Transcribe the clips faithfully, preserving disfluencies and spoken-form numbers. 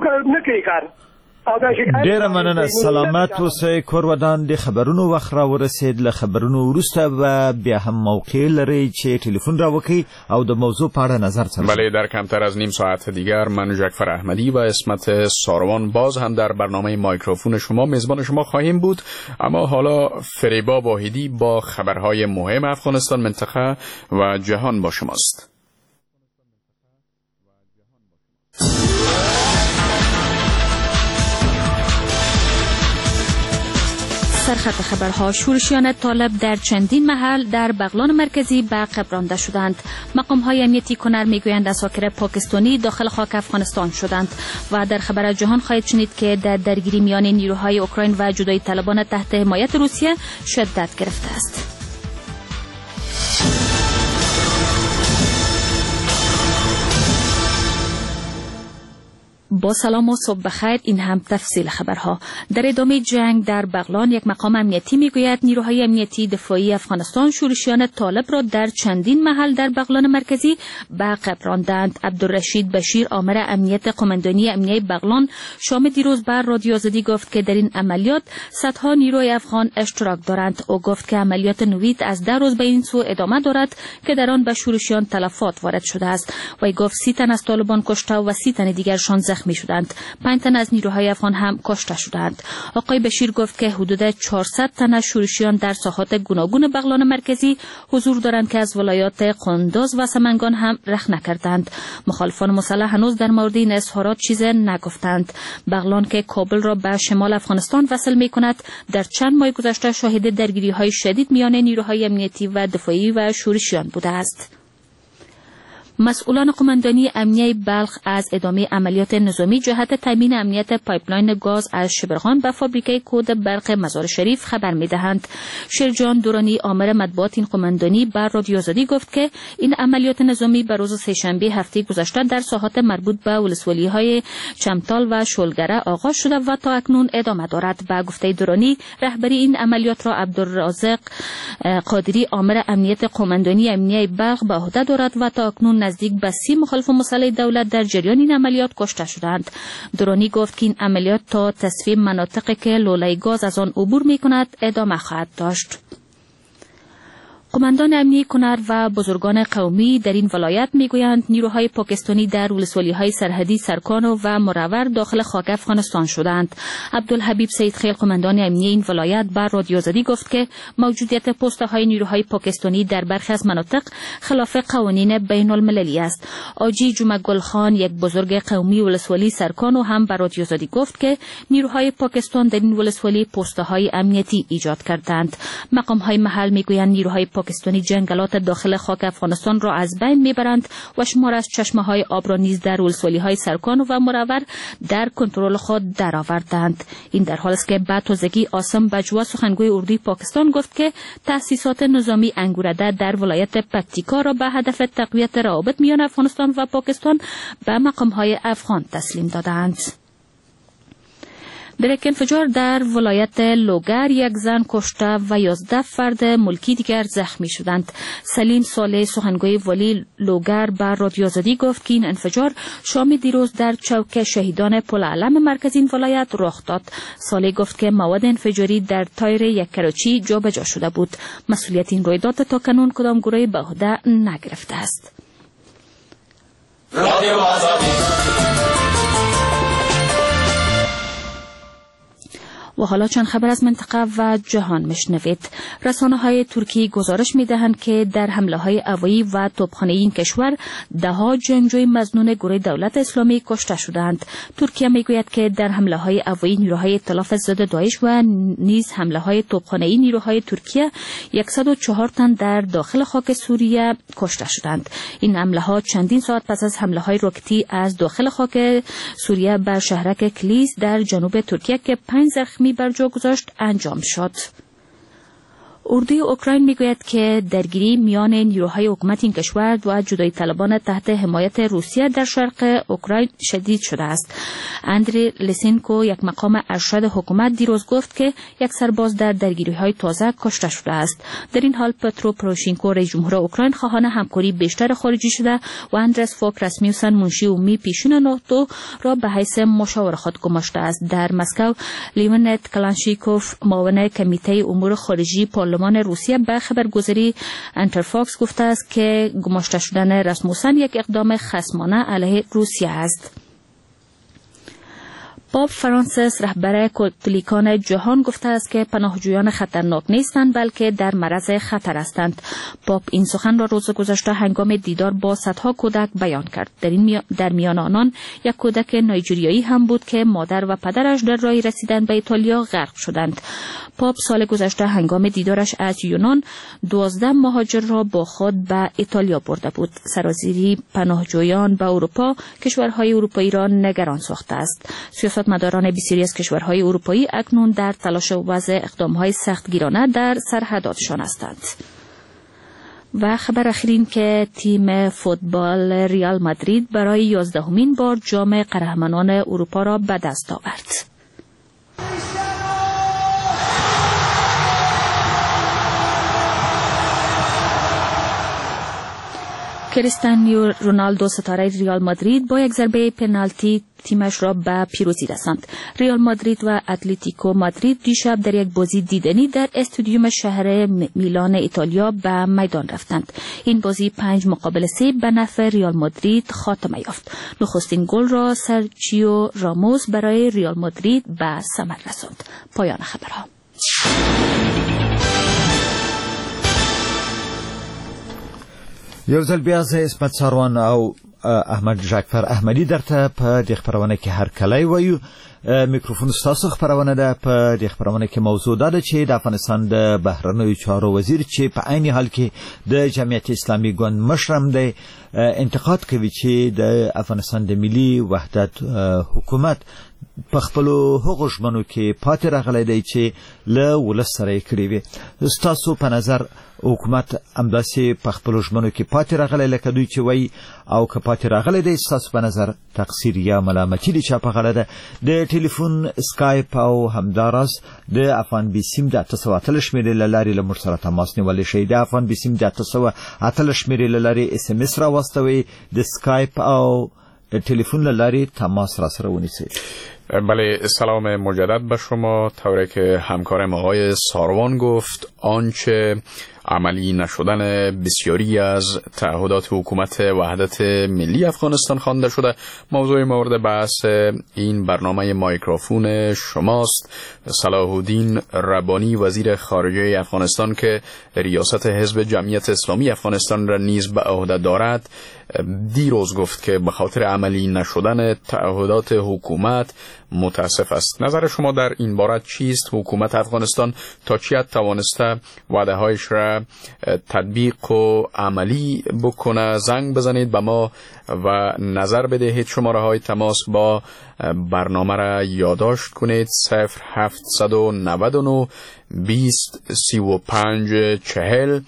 نه کوي کار. ډیره مننه، سلامت اوسئ. کور ودان. د خبرونو وخت را ورسید. له خبرونو وروسته به بیا هم موقع لرئ چې تلفن را وکړئ او د موضوع په اړه نظر څرګند. بله، در کمتر از نیم ساعت دیگر من جعفر احمدی و عصمت ساروان باز هم در برنامه مایکروفون شما میزبان شما خواهیم بود. اما حالا فریبا واحدی با خبرهای مهم افغانستان، منطقه و جهان با شماست. سرخط خبرها: شورشیان طالب در چندین محل در بغلان مرکزی به عقب رانده شدند. مقام های امنیتی کنر میگویند عساکر پاکستانی داخل خاک افغانستان شدند. و در خبر جهان خواهید شنید که در درگیری میان نیروهای اوکراین و جدایی طلبان تحت حمایت روسیه شدت گرفته است. با سلام و صبح بخیر. این هم تفصیل خبرها. در ادامه جنگ در بغلان یک مقام امنیتی میگوید نیروهای امنیتی دفاعی افغانستان شورشیان طالب را در چندین محل در بغلان مرکزی به عقب راندند. عبدالرشید بشیر آمر امنیت قماندانی امنیه بغلان شام دیروز بر رادیو آزادی گفت که در این عملیات صدها نیروی افغان اشتراک دارند. او گفت که عملیات نوید از ده روز به این سو ادامه دارد که در آن به شورشیان تلفات وارد شده است. وی گفت سی تن از طالبان کشته و سی تن دیگرشان زخمی شدند. پنج تن از نیروهای افغان هم کشته شدند. آقای بشیر گفت که حدود چهارصد تن از شورشیان در ساحات گوناگون بغلان مرکزی حضور دارند که از ولایات قندوز و سمنگان هم رخ نکردند. مخالفان مسلح هنوز در مورد این اظهارات چیز نگفتند. بغلان که کابل را به شمال افغانستان وصل می کند در چند ماه گذشته شاهد درگیری های شدید میان نیروهای امنیتی و دفاعی و شورشیان بوده است. مسئولان قماندانی امنیه بلخ از ادامه عملیات نظامی جهت تامین امنیت pipeline گاز از شبرغان به فابریکه کود برق مزار شریف خبر می‌دهند. شیرجان دورانی آمر مطبوعات این قماندانی بر رادیو آزادی گفت که این عملیات نظامی به روز سه‌شنبه هفته گذشته در ساحات مربوط به ولسوالی‌های چمتال و شولگره آغاز شده و تا اکنون ادامه دارد. به گفته دورانی رهبری این عملیات را عبدالرازق قادری آمر امنیت قماندانی امنیه بلخ به عهده دارد و تا اکنون نزدیک به سی مخالف مسلح دولت در جریان این عملیات کشته شدند. درانی گفت که این عملیات تا تصفیه مناطقی که لوله گاز از آن عبور می کند ادامه خواهد داشت. قماندان امنی کنر و بزرگان قومی در این ولایت میگویند نیروهای پاکستانی در ولسوالی‌های سرحدی سرکان و مرور داخل خاک افغانستان شدند. عبدالحبیب سید خیل قماندان امنی این ولایت بر رادیو آزادی گفت که موجودیت پسته‌های نیروهای پاکستانی در برخی از مناطق خلاف قوانین بین المللی است. آجی جمعه گل خان یک بزرگ قومی ولسوالی سرکان و هم بر رادیو آزادی گفت که نیروهای پاکستان در این ولسوالی پسته‌های امنیتی ایجاد کردند. مقام‌های محل میگویند نیروهای پاکستانی جنگلات داخل خاک افغانستان را از بین میبرند و شمار از چشمه های آب را نیز در ولسوالی های سرکان و مرور در کنترل خود درآوردند. این در حال است که بعد تازگی عاصم بجوا سخنگوی اردوی پاکستان گفت که تأسیسات نظامی انگورده در ولایت پکتیکا را به هدف تقویت روابط میان افغانستان و پاکستان به مقام های افغان تسلیم دادند. در یک انفجار در ولایت لوگر یک زن کشته و یازده فرد ملکی دیگر زخمی شدند. سلیم صالح سخنگوی والی لوگر بر رادیو آزادی گفت که این انفجار شام دیروز در چوک شهیدان پل علم مرکز این ولایت رخ داد. صالح گفت که مواد انفجاری در تایر یک کراچی جابجا شده بود. مسئولیت این رویداد تا کنون کدام گروه به عهده نگرفته است. رادیو آزادی. و حالا چند خبر از منطقه و جهان مشنوید. رسانه های ترکی گزارش می دهند که در حمله های هوایی و توپخانه این کشور ده ها جنگجوی مظنون گروه دولت اسلامی کشته شدند. ترکیه می گوید که در حمله های هوایی نیروهای ائتلاف ضد داعش و نیز حمله های توپخانه نیروهای ترکیه صد و چهار تن در داخل خاک سوریه کشته شدند. این حمله ها چندین ساعت پس از حمله های راکتی از داخل خاک سوریه بر شهرک کلیس در جنوب ترکیه که پنج زخمی بر جا گذاشت انجام شد. اردوی اوکراین میگوید که درگیری میان نیروهای حکومت این کشور و جدایی طلبان تحت حمایت روسیه در شرق اوکراین شدید شده است. اندری لسینکو، یک مقام ارشد حکومت، دیروز گفت که یک سرباز در درگیری‌های تازه کشته شده است. در این حال پترو پروشینکو، رئیس جمهور اوکراین، خواهان همکاری بیشتر خارجی شده و اندرس فوک راسمیوسن، منشی عمومی پیشین ناتو را به حیث مشاور خود گماشته است. در مسکو لیونت کلانشیکوف، معاون کمیته امور خارجی پارلمان روسیه، به خبرگزاری انترفاکس گفته است که گماشته شدن راسموسن یک اقدام خصمانه علیه روسیه است. پاپ فرانسیس، رهبر کاتولیکان جهان، گفته است که پناهجویان خطرناک نیستند بلکه در معرض خطر هستند. پاپ این سخن را روز گذشته هنگام دیدار با صدها کودک بیان کرد. در این می... در میان آنان یک کودک نایجریایی هم بود که مادر و پدرش در راه رسیدن به ایتالیا غرق شدند. پاپ سال گذشته هنگام دیدارش از یونان دوازده مهاجر را با خود به ایتالیا برده بود. سرازیری پناهجویان به اروپا کشورهای اروپایی را نگران ساخته است. سیاستمداران بسیاری از کشورهای اروپایی اکنون در تلاش وضع اقدامهای سختگیرانه در سرحداتشان هستند. و خبر اخیر که تیم فوتبال ریال مادرید برای یازدهمین بار جام قهرمانان اروپا را به دست آورد. کریستیانو رونالدو، ستاره ریال مادرید، با یک ضربه پنالتی تیمش را به پیروزی رساند. ریال مادرید و اتلتیکو مادرید دیشب در یک بازی دیدنی در استادیوم شهر میلان ایتالیا به میدان رفتند. این بازی پنج مقابل سه به نفع ریال مادرید خاتمه یافت. نخستین گل را سرچیو راموس برای ریال مادرید به ثمر رساند. پایان خبرها. یو ځل بیا زه عصمت څاروان او احمد جعفر احمدي درته په دې خپرونه کې هرکلی وایو. میکروفون ستاسو خپرونه ده. په دې خپرونه کې موضوع دا ده چې د افغانستان د بهرنیو چارو وزیر چې په عین حال کې د جمعیت اسلامي ګوند مشر هم دی، انتقاد کوي چې د افغانستان د ملي وحدت حکومت په خپلو هغو ژمنو کې پاتې راغلی دی چې له ولس سره یې کړې وې. ستاسو په نظر حکومت همداسې په خپلو ژمنو کې پاتې راغلی لکه دوی چې وایي، او که پاتې راغلی دی ستاسو په نظر تقصیر یا ملامتي د چا په غاړه ده؟ د ټلیفون، سکایپ او همداراز د افغان بیسیم د اته سوه اتلس شمېرې له لارې له موږ سره تماس نیولی شئ. د افغان بیسیم د اته سوه اتلس شمېرې له لارې اس ام اس راواستوئ، د سکایپ او تلفن له لارې تماس را سره ونیسئ. بله، سلام مجدد به شما. طوری که همکارم آقای ساروان گفت، آنچه عملی نشدن بسیاری از تعهدات حکومت وحدت ملی افغانستان خوانده شده موضوع مورد بحث این برنامه مایکروفون شماست. صلاح الدین ربانی، وزیر خارجه افغانستان که ریاست حزب جمعیت اسلامی افغانستان را نیز به عهده دارد، دیروز گفت که به خاطر عملی نشدن تعهدات حکومت متاسف است. نظر شما در این باره چیست؟ حکومت افغانستان تا چه توانسته وعده هایش را تطبیق و عملی بکنه؟ زنگ بزنید به ما و نظر بدهید. شماره های تماس با برنامه را یادداشت کنید: صفر هفت نه نه بیست سی و پنج چهل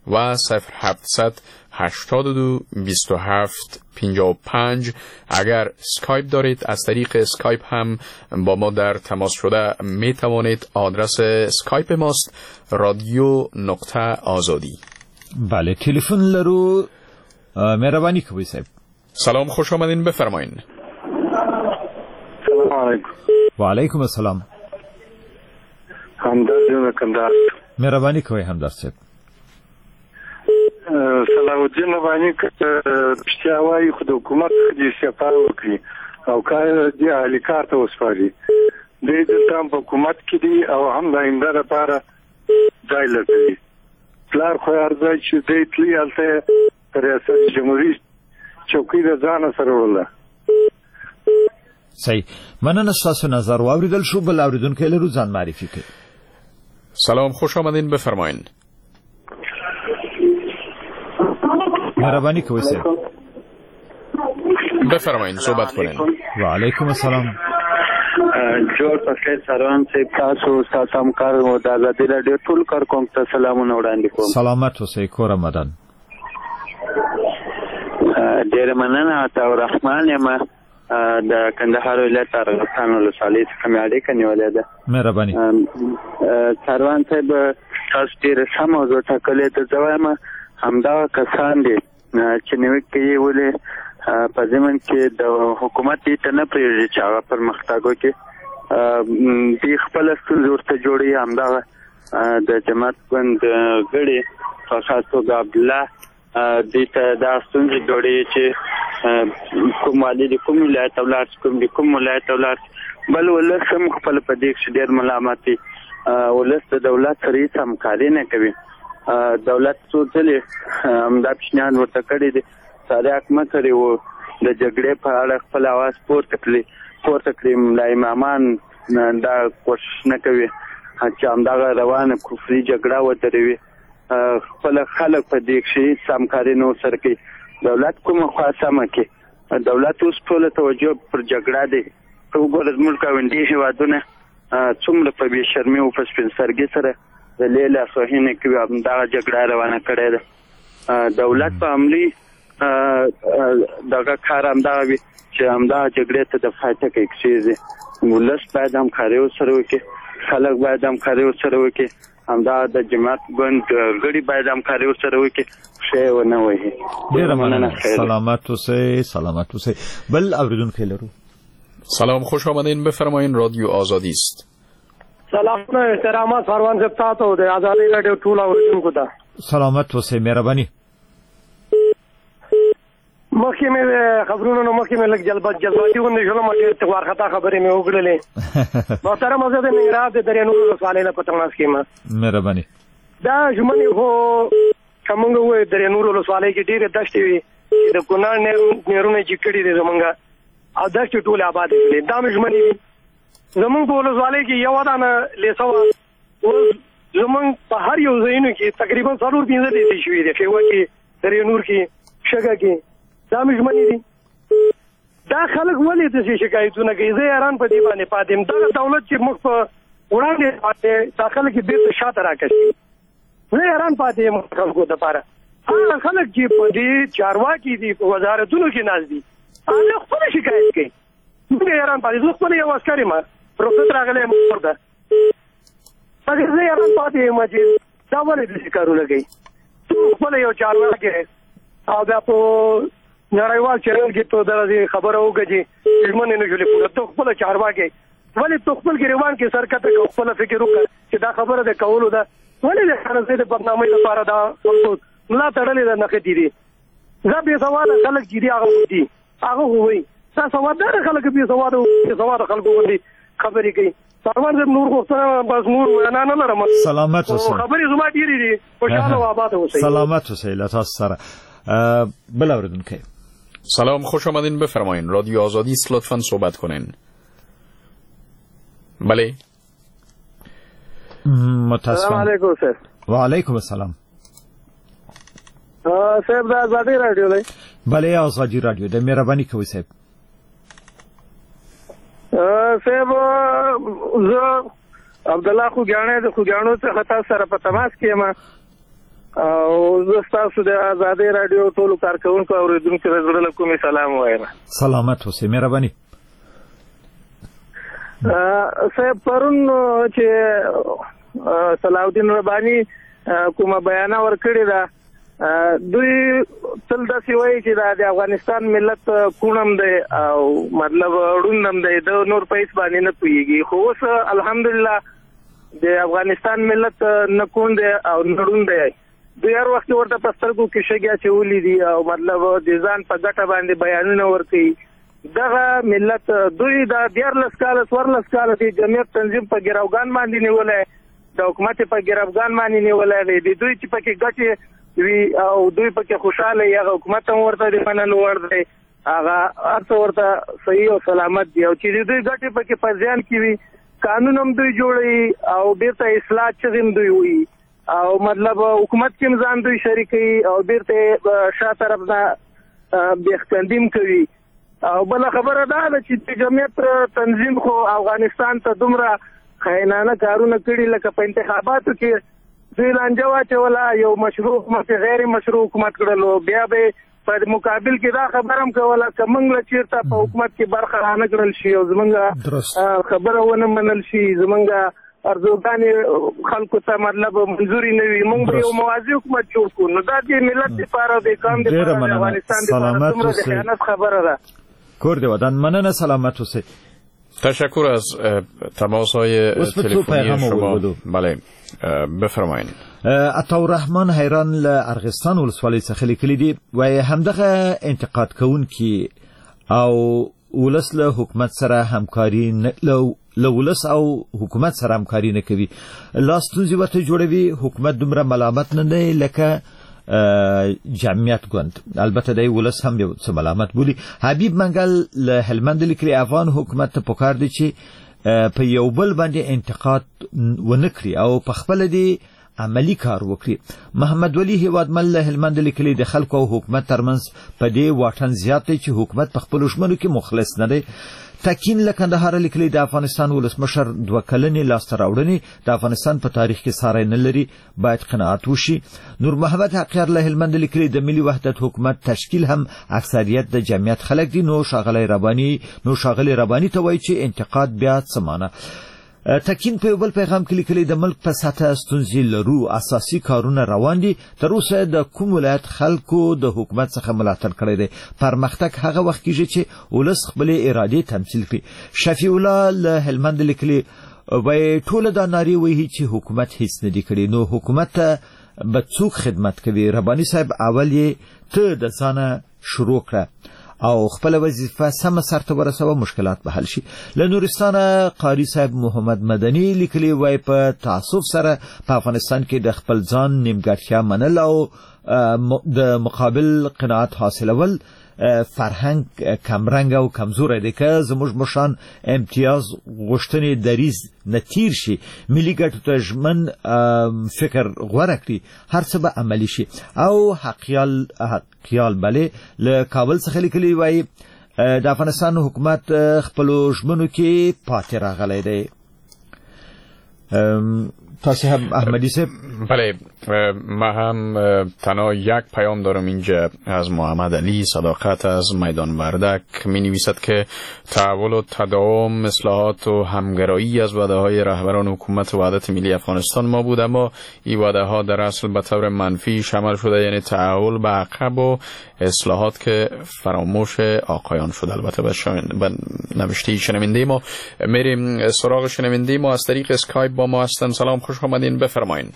و صفر هفت هشتاد و دو بیست و هفت پنجاه و پنج. اگر اسکایپ دارید از طریق اسکایپ هم با ما در تماس شده می توانید. آدرس اسکایپ ماست رادیو نقطه آزادی. بله، تلفن لرو، مهربانی کوي صاحب. سلام، خوش آمدین، بفرمایین. سلام علیکم. و علیکم السلام. همدرد جون کندهار. مهربانی کوي همدرد صاحب. صلاح الدین رباني که رښتیا وایي خو د حکومت دې استعفا وکړي او کار دې اهلي کار ته وسپاري. دوی دلته هم په حکومت کې دي او هم د آینده لپاره ځای لټوي. پلار خو هر ځای چې دی تللی هلته یې ریاست جمهوري چوکۍ د ځانه سره وړله. صحیح، مننه ستاسو نظر واورېدل شو. بل اورېدونکی لرو، ځان معرفي کړئ. سلام، خوش آمدین، بفرمایین. مهربانی کوئ صاحب. بفرمایین، صحبت کنین. و علیکم السلام. جوړ په خیر سروان صاحب، تاسو ستاسو همکار او د ازادي راډیو ټول کارکوونکو ته سلامونه وړاندې کوم. سلامت اوسئ، کور آمدن. ډېره مننه. عطاالرحمن یم، د کندهار ولایت ارغستان ولسوالۍ څخه مې اړیکه نیولې ده. مهرباني. سروان صاحب، تاسو ډېره ښه موضوع ټاکلې ده. زه وایم همدغه کسان دي چې نیوکې کوي، ولې په ضمن کې د حکومت دې ته نه پرېږدي چې هغه پرمختګ وکړي، دوی خپله ستونزې ورته جوړوي. همدغه د جماعت ګوند غړي په خاص توګه عبدالله دوی ته دا ستونزې جوړوي چې کوم والي د کوم ولایت ته ولاړ شي، کوم د کوم ولایت ته ولاړ شي. بل ولس هم خپل په دې کښې ډېر ملامت دی. ولس د دولت سره هېڅ همکاري نه کوي. دولت څو ځلې همدا پیشنهاد ورته کړی دی، ساري حق مه کړی و د جګړې په اړه خپل اواز پورته کړي پورته کړي. ملا امامان دا کوشش نه کوي چې همدغه روانه کفري جګړه ودروي. خپله خلک په دې کښې هېڅ همکاري نه ورسره کوي. دولت کومه خوا سمه کړي؟ دولت اوس ټوله توجه پر جګړه دی. ته وګوره زموږ ګاونډي هېوادونه څومره په بې شرمي او په سپین سترګي سره د لې لاسوهنې کوي، همدغه جګړه روانه کړې ده. دولت په عملي دغه کار همدغه وي چې همدغه جګړې ته د پای ټکی کښېږدي. ولس باید همکاري ورسره وکړي، خلک باید همکاري ورسره وکړي، همدا د جماعت ګوند غړي باید همکاري ورسره وکړي، ښه یې ونه وهي. ډېره مننه، سلامت اوسئ. سلامت اوسئ. بل اورېدونکی لرو. سلام، خوش آمدین، بفرمایین. رادیو آزادی است. سلامونه، احترامات سروان صاحب تاسو د ازادي راډیو ټول اورېدونکو ته. سلامت اوسئ، مهرباني. مخکې مې خبرونو نو مخکې مې لږ جذباتي غوندې شولم، ډېر وارخطا خبرې مې وکړلې. محترم، زه د ننګرهار د درې نورو ولسوالۍ نه په تماس کې یم. مهرباني. دا ژمنې خو که موږ ووایو درې نورو ولسوالۍ کې ډېرې دښتې وي چې د کونړ نهرونه چې کړي دي زموږ، او دښتې ټولې آبادې کړې، دا مې ژمنې دي. زموږ په ولسوالۍ کې یوه دانه لیسه وه، اوس زموږ په هر یو ځایونو کې تقریبا څلور پنځه لیسې شوې دي، ښېوه کې، درې نور کې، شګه کې. دا مې ژمنې دي. دا خلک ولې داسې شکایتونه کوي؟ زه حیران په دې باندې پاتې یم. دغه دولت چې موږ په وړاندې پاتې، دا خلک یې بېرته شاته راکشي. زه حیران پاتې یم خلکو دپاره. هغه خلک چې په دې چارواکي دي، په وزارتونو کې ناست دي، هغه خپله شکایت کوي. موږ حیران پاتې. زه خپله یو عسکر یم، رخصت راغلی یم کور ته، مګر زه حیران پاتې یم چې دا ولې داسې کارونه کوي. ته خپله یو چارواکی او بیا په نړیوال چینل کې ته دغسې خبره وکړه چې ژمنې نه شولې پوره. ته خپله چارواکی ولې ته خپل ګریوان کې سر کښته کړه، خپله فکر وکړه چې دا خبره د کولو ده. ولې د خرڅې د بدنامۍ لپاره دا خلکو ملا تړلې ده، نښتې دي؟ دا بې سواده خلک چې دي هغه دي، هغه خو وایي دا سوادداره خلک بې سواده بې سواده خلکو غوندې خبرې کوي. سروان صاحب، نور غوښتنه بس نور وینا نه لرم. سلامت اوسئ. خبرې زما ډېرې دي. خوشحاله او آباد اوسئ. سلامت اوسئ. له تاسو سره بل اورېدونکی. سلام، خوش آمدین، بفرمایین. رادیو آزادی است، لطفاً صحبت کنین. بله. متاسفم. سلام علیکم صاحب. و علیکم السلام. صاحب، د ازادي راډیو دی؟ بله، ازادي راډیو ده. مهرباني کوئ صاحب. صاحب، زه عبدالله خوږیاڼی د خوږیاڼو څخه تاسو سره په تماس کې یم، او زه ستاسو د ازادي راډیو ټولو کارکوونکو او اورېدونکو ته زړه له کومې سلام وایم. سلامت اوسئ، مهرباني. صاحب، پرون چې صلاح الدین رباني کومه بیانه ورکړې ده، دوی تل داسې وایي چې دا د افغانستان ملت کوڼ هم دی او مطلب ړوند هم دی، د نور په هېڅ باندې نه پوهېږي. خو اوس الحمدلله د افغانستان ملت نه کوڼ دی او نه ړوند دی. دوی هر وخت ورته په سترګو کې شګې اچولې دي او مطلب د ځان په ګټه باندې بیانونه ورکوي. دغه ملت دوی دا دیارلس کاله څوارلس کاله د جمعیت تنظیم په ګروګان باندې نیولی، د حکومت په ګروګان باندې نیولی دی. د دوی چې پکې ګټې وي او دوی پکې خوشحاله وي، هغه حکومت هم ورته د منلو وړ دی، هغه هر څه ورته صحیح او سلامت دی. او چې د دوی ګټې پکې په زیان کې وي، قانون هم دوی جوړوي او بیرته اصلاح چغې هم دوی وایي او مطلب حکومت کې هم ځان دوی شریکوي او بیرته شا طرف نه بېخکندیم کوي. او بله خبره دا ده چې د جمعیت تنظیم خو افغانستان ته دومره خاینانه کارونه کړي، لکه په انتخاباتو کې دوی لانجه واچوله، یو مشروع حکومت غیر مشروع حکومت کړلو. بیا به په مقابل کې دا خبره هم کوله که موږ له چېرته په حکومت کې برخه رانه کړل شي او زموږ خبره ونه منل شي، زموږ ارزوګانې خلکو ته مطلب منظوري نه وي، موږ به یو موازي حکومت جوړ کړو. نو دا د ملت دپاره، د قام دپاره، د افغانستان دپاره څومره د خیانت خبره ده. کور دې ودان، مننه، سلامت اوسئ. تشکر از تماس های تلفنی شما. بله بفرمایید. عطاالرحمن حیران له ارغستان ولسوالۍ څخه لیکلي دي، وایي همدغه انتقاد کوونکي او ولس له حکومت سره همکاري نه له ولس او حکومت سره همکاري نه کوي، لا ستونزې ورته جوړوي. حکومت دومره ملامت نه دی لکه جمعیت ګوند، البته دی ولس هم یو څه ملامت بولي. حبیب منګل له هلمند لیکلي، افغان حکومت ته پکار دی چې په یو بل باندې انتقاد ونه کړي او په خپله دې عملی کار وکړي. محمد ولی هیوادمل له هلمند لیکلي، د خلکو او حکومت ترمنځ په دې واټن زیات دی چې حکومت په خپلو ژمنو کې مخلص نه دی. تکین له کندهاره لیکلي، د افغانستان ولسمشر دوه کلنې لاسته راوړنې د افغانستان په تاریخ کې ساری نه لري، باید قناعت وشي. نور محمد حقیار له هلمند لیکلي، د ملي وحدت حکومت تشکیل هم اکثریت د جمعیت خلک دي، نو ښاغلی رباني نو ښاغلی رباني ته وایي چې انتقاد بیا څه معنی. تکین په یو بل پیغام کې لیکلي، د ملک په سطح ستونزې لرو، اساسي کارونه روان دي، تر اوسه د کوم ولایت خلکو د حکومت څخه ملاتړ کړی دی، پرمختګ هغه وخت کیږي چې ولس خپلې ارادې تمثیل کړي. شفیع الله له هلمند لیکلي، وایي ټوله دا نارې وهي چې حکومت هیڅ نه دي کړي، نو حکومت ته به څوک خدمت کوي؟ رباني صاحب اول یې ته د ځانه شروع کړه او خپل وظیفه سمه سرته ورسوه، مشکلات به حل شي. له نورستانه قاري صاحب محمد مدني لیکلي، وایي په تاسف سره په افغانستان کې د خپل ځان نیمګړتیا منل او د مقابل قناعت حاصلول فرهنګ کمرنګ او کمزوری دی. که زموږ مشران امتیاز غوښتنې دریځ نه تیر شي، ملي ګټو ته ژمن فکر غوره کړي، هر څه به عملي شي. او حقیال حقیال بله له کابل څخه لیکلي، وایي د افغانستان حکومت خپلو ژمنو کې پاتې راغلی دی. تاسو هم احمدی صاحب؟ بله، من هم تنها یک پیام دارم اینجا از محمد علی صداقت از میدان وردک. می نویسد که تحول و تداوم، اصلاحات و همگرایی از وعده های رهبران حکومت وحدت ملی افغانستان ما بود، اما این وعده ها در اصل به طور منفی شامل شده، یعنی تحول به عقب و اصلاحات که فراموش آقایان شد. البته به نوشته شنونده ما میریم سراغ شنونده ما از طریق اسکایپ با ما هستن. سلام، خوش آمدین، بفرمایین.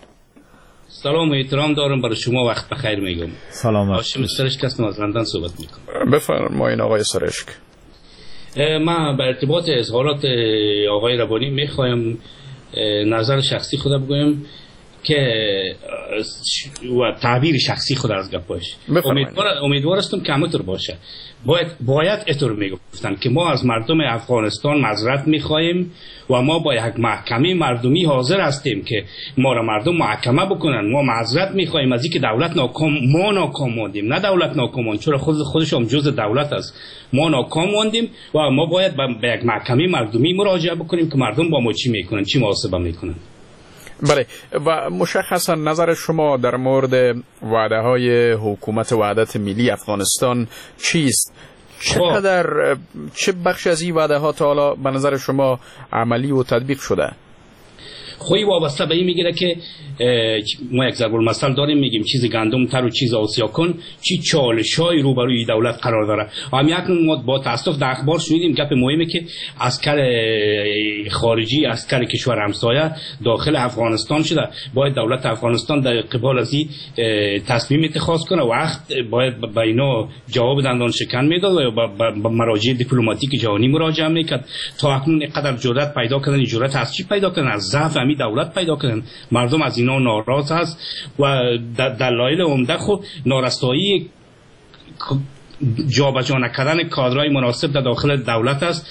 سلام و احترام دارم برای شما، وقت بخیر میگم. سلام، هاشم سرشک هستم، از لندن صحبت میکنم. بفرمایین آقای سرشک. من به ارتباط اظهارات آقای ربانی میخوایم نظر شخصی خود بگویم که و تعبیر شخصی خود از گپاش. امیدوار امیدوار هستم که همونطور باشه. باید باید اینطور میگفتن که ما از مردم افغانستان معذرت میخواهیم و ما با یک محکمه مردمی حاضر هستیم که ما را مردم محاکمه بکنن. ما معذرت میخواهیم از اینکه دولت ناکام، ما ناکام ماندیم، نه دولت ناکام ماند، چرا خود خودش هم جزء دولت است. ما ناکام ماندیم و ما باید به یک محکمه مردمی مراجعه بکنیم که مردم با ما چی میکنن، چی محاسبه میکنن. بله، و مشخصا نظر شما در مورد وعده های حکومت وحدت ملی افغانستان چیست؟ چقدر چه بخش از این وعده ها تا حالا به نظر شما عملی و تطبیق شده؟ خوی وابسته به این میگیره که ما یک ضرب المثل داریم، میگیم چیز گندم تر و چیز آسیا کن، چی چالش‌های روبروی دولت قرار داره. هم یک ما با تاسف در اخبار شنیدیم گپ مهمه که عسکر خارجی، عسکر کشور همسایه داخل افغانستان شده. باید دولت افغانستان در قبال از این تصمیم اتخاذ کنه. وقت باید به اینا جواب دندان شکن میداد و به مراجع دیپلماتیک جهانی مراجعه میکرد. تا اکنون اینقدر جرأت پیدا کردن، جرأت از چی پیدا کردن؟ از ضعف همین دولت پیدا کردن. مردم از اینا ناراض هست و دلایل عمده خب نارسایی جابجا نکردن کادرهای مناسب در داخل دولت است.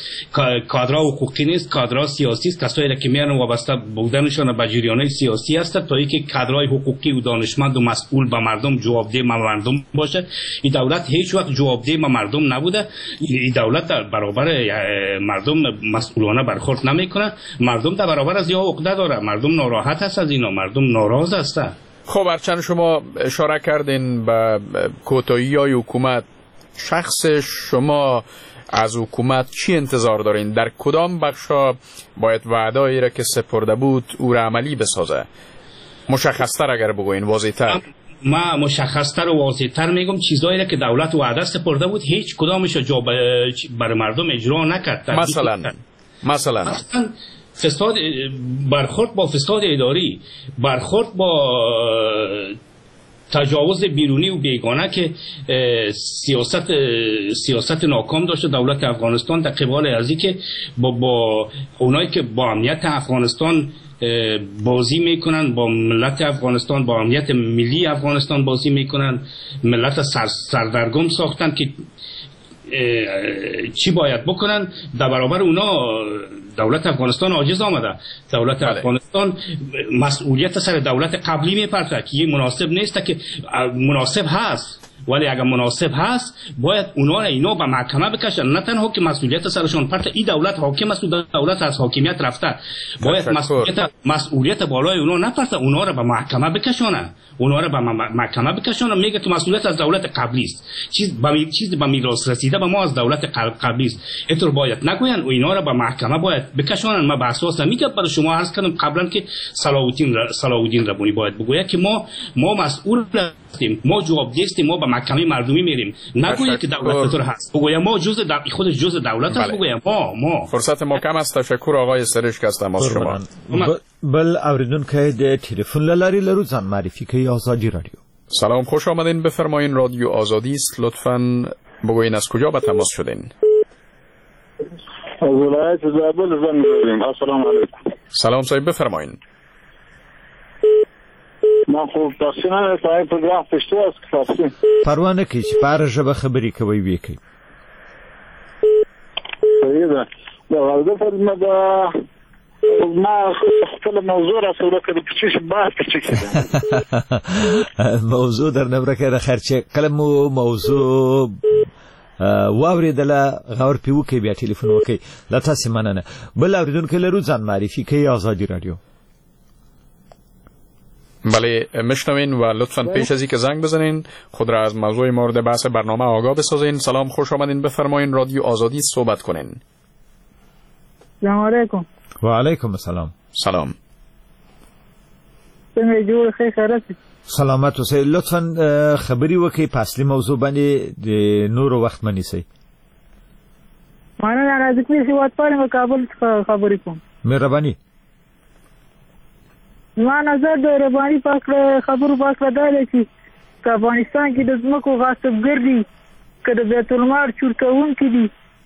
کادرها حقوقی نیست، کادرها سیاسی است. کسایی که میان وابسته بودنشان به جریان‌های سیاسی است تا اینکه کادرهای حقوقی و دانشمند و مسئول به مردم جوابده مردم باشه. این دولت هیچ وقت جوابده به مردم نبوده. این دولت در برابر مردم مسئولانه برخورد نمیکنه. مردم در برابر از یا عقده داره، مردم ناراحت است از اینا، مردم ناراض هستند. خب هرچند شما اشاره کردین به کوتاهی‌های حکومت، شخص شما از حکومت چی انتظار دارین؟ در کدام بخشا باید وعده‌ای را که سپرده بود او را عملی بسازه؟ مشخصتر اگر بگوین، واضح‌تر. ما مشخصتر و واضح‌تر میگم چیزایی را که دولت وعده سپرده بود هیچ کدامش جا برای مردم اجرا نکرد. مثلا مثلا مثلا فساد، برخورد با فساد اداری، برخورد با تجاوز بیرونی و بیگانه که سیاست سیاست ناکام داشته دولت افغانستان در قبال از که با, با اونایی که با امنیت افغانستان بازی میکنن، با ملت افغانستان، با امنیت ملی افغانستان بازی میکنن، ملت سر سردرگم ساختن که چی باید بکنن. در برابر اونا دولت افغانستان عاجز آمده. دولت بله. افغانستان مسئولیت سر دولت قبلی میپرته که یه مناسب نیست، که مناسب هست، ولی اگر مناسب هست باید اونا را اینا به محکمه بکشن. نه تنها که مسئولیت سرشون پرته، این دولت حاکم است و دولت از حاکمیت رفته، باید مسئولیت مسئولیت بالای اونا نپرته، اونا را به محکمه بکشونه، اونا را به محکمه بکشونه. میگه که مسئولیت از دولت قبلی است، چیز به چیز به میراث رسیده به ما از دولت قبلی است. اینطور باید نگوین و اینا را به محکمه باید بکشونن. ما به اساس میگم برای شما عرض کردم قبلا که صلاح الدین صلاح الدین ربانی باید بگوید که ما ما مسئول هستیم، ما جوابده هستیم، ما به محکمه مردمی میریم. نگوید که دولت طور هست، بگوید ما جزء دو... خودش جزء دولت است. بگوید ما ما فرصت ما کم است. تشکر آقای سرشک از تماس شما. بل اوریدونکی د تلفن له لارې لرو، ځان معرفي کوي ازادي رادیو. سلام، خوش آمدین. بفرمایین، رادیو آزادی است، لطفاً بگوین از کجا به تماس شدین؟ از ولایت زابل زنگ زدیم. السلام علیکم. سلام صاحب، بفرمایین. ما خو تاسو نه تای پروګرام پښتو است که فارسی؟ پروا نه کوي چې په هره ژبه خبرې کوئ ویې کوي. صحیح ده. د غرض فرمه ده ما خپل موضوع را سره کړو چې څه بحث پکې موضوع در نه ورکه د خیر چې کله مو موضوع واورېدله غور پې وکړئ، بیا ټلیفون وکړئ. له تاسې مننه. بل اورېدونکی لرو، ځان معرفي کوي ازادي رادیو. بله میشنوین و لطفاً پیش از اینکه زنگ بزنین خود را از موضوع مورد بحث برنامه آگاه بسازین. سلام، خوش آمدین. بفرمایین، رادیو آزادی صحبت کنین. سلام علیکم. و علیکم السلام. سلام. څنګه جوړ ښه خیرت؟ سلامت اوسئ. لطفاً خبرې وکړئ په اصلي موضوع باندې، د نورو وخت مه نیسئ. مننه. رازق هېوادپال یم، کابل څخه خبرې کوم. مهرباني. زما نظر د رباني په هکله خبرو په هکله دا دی چې که افغانستان کې د ځمکو غاصبګر دي، که د بیت المال چور کوونکي دي،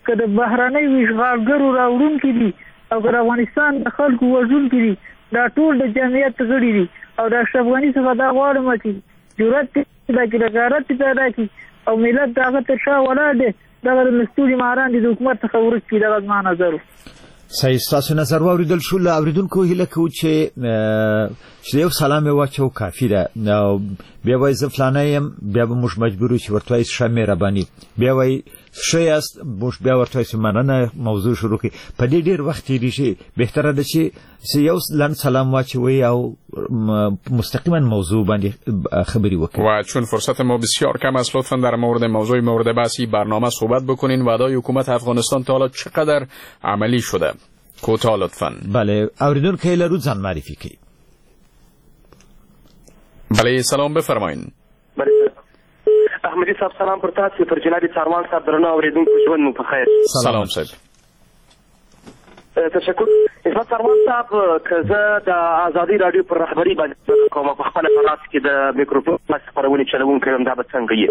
که د بهرنیو اشغالګرو راوړونکي دي، او که د افغانستان د خلکو وژونکي دي، دا ټول د جمعیت غړي دي. او د اشرف غني څخه دا غواړم چې جرأت پیدا کړي، غیرت پیدا کړي، او ملت د هغه تر شا ولاړ دی. دغه د مستوري ماران دي د حکومت څخه ورک کړي. دغه زما نظر و. صحیح، ستاسو نظر واورېدل شو. له اورېدونکو هیله کوو چې چې یو سلام یې واچوو کافي ده. بیا وایي زه فلانی یم، بیا به موږ مجبور یو چې ورته وایي ښه مهرباني، بیا وایي ښه یاست، موږ بیا ورته وایو چې مننه، موضوع شروع کړئ. په دې ډېر وخت تېرېږي. بهتره ده چې یو لنډ سلام واچوئ او مستقیما موضوع باندې خبرې وکړئ. و چون فرصت ما بسیار کم است، لطفا در مورد موضوع مورد بحثی برنامه صحبت بکنین. وعدای حکومت افغانستان تا حالا چقدر عملی شده؟ کوتاه لطفا. بله، اوریدونکی لرو، ځان معرفي کوي. بله، سلام، بفرمایین. بله احمدي صاحب سلام پر تاسو، پر جناب څاروان صاحب، درنو اورېدونکو ژوند مو په خیر. سلام صاحب. تشکر. عصمت څاروان صاحب، که زه د ازادي راډیو پر رهبري باندې کوم، په خپله په لاس کې د میکروفون خپرونې چلوونکی یم، دا به څنګه وي؟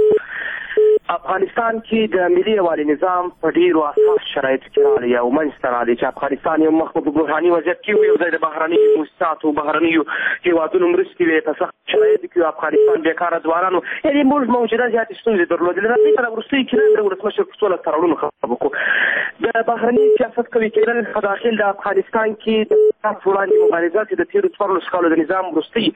افغانستان کې د ملي یووالي نظام په ډېرو اساس شرایطو کې راغلی او منځته راغلی چې افغانستان یو مخ په بحراني وضعیت کې و، یو ځای د بهرنیو موسساتو بهرنیو هېوادونو مرستې وې، په سخت شرایطو کې افغانستان بېکاره ځوانانو، یعنې موږ موجوده زیاتې ستونزې درلودلې. راځئ په وروستیو کې نن د ولسمشر په څو تړاوونو خبرې وکړو. د بهرني سیاست قوي کېدل په داخل د افغانستان کې د فساد وړاندې مبارزه چې د تېرو څوارلس کالو د نظام وروستۍ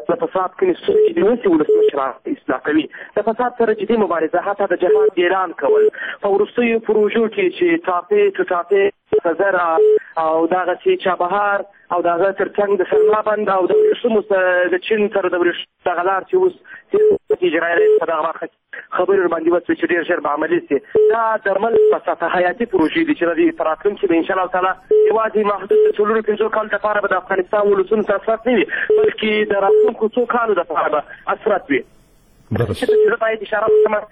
د فساد کومې ستونزې دي اوس یې ولسمشر اصلاح کوي. د فساد سره جدي مبارزه، حتی د جهاد اعلان کول، په وروستیو پروژو کې چې ټاپې ټوټاپې خزر او دغسې چابهار او د هغه تر څنګ د سلما بند او د ورېښمو د چین سره د ورېښمو دغه لار چې اوس اجرایي رئیس په دغه برخه کې خبرې ورباندې وسوې چې ډېر ژر به عملي سي. دا د ملک په سطح حیاتي پروژې دي چې د دې په راتلونکي به انشاءالله تعالی یوازې محدود د څلورو پنځو کالو دپاره به د افغانستان ولسونو ته اثرات نه وي، بلکې د راتلونکو څو کالو دپاره به اثرات وي. زه باید اشاره وکړم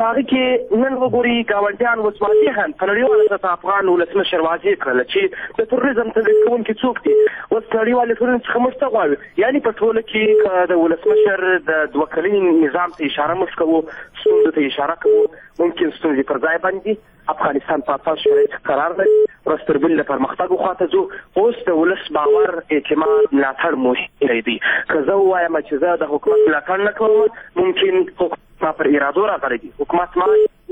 په هغه کې نن وګوري ګاونډیان اوس واضح هم په نړیواله سطح افغان ولسمشر واضح کړله چې د تروریزم تمویل کوونکي څوک دي. اوس نړیوالې ټولنې څخه موږ څه غواړو؟ یعنې په ټوله کې که د ولسمشر د دوه کلني نظام ته اشاره موږ کوو، ستونزو ته اشاره کوو، ممکن ستونزې پر ځای باندې افغانستان په اساس شرایط قرار لري، ورځ تر بلې د پرمختګ خواته ځو. اوس د ولس باور، اعتماد، ملاتړ مهم دی. که زه ووایم چې زه د حکومت ملاتړ نه کوم، ممکن حکومت ما پر ارادو راغلی دی، حکومت ما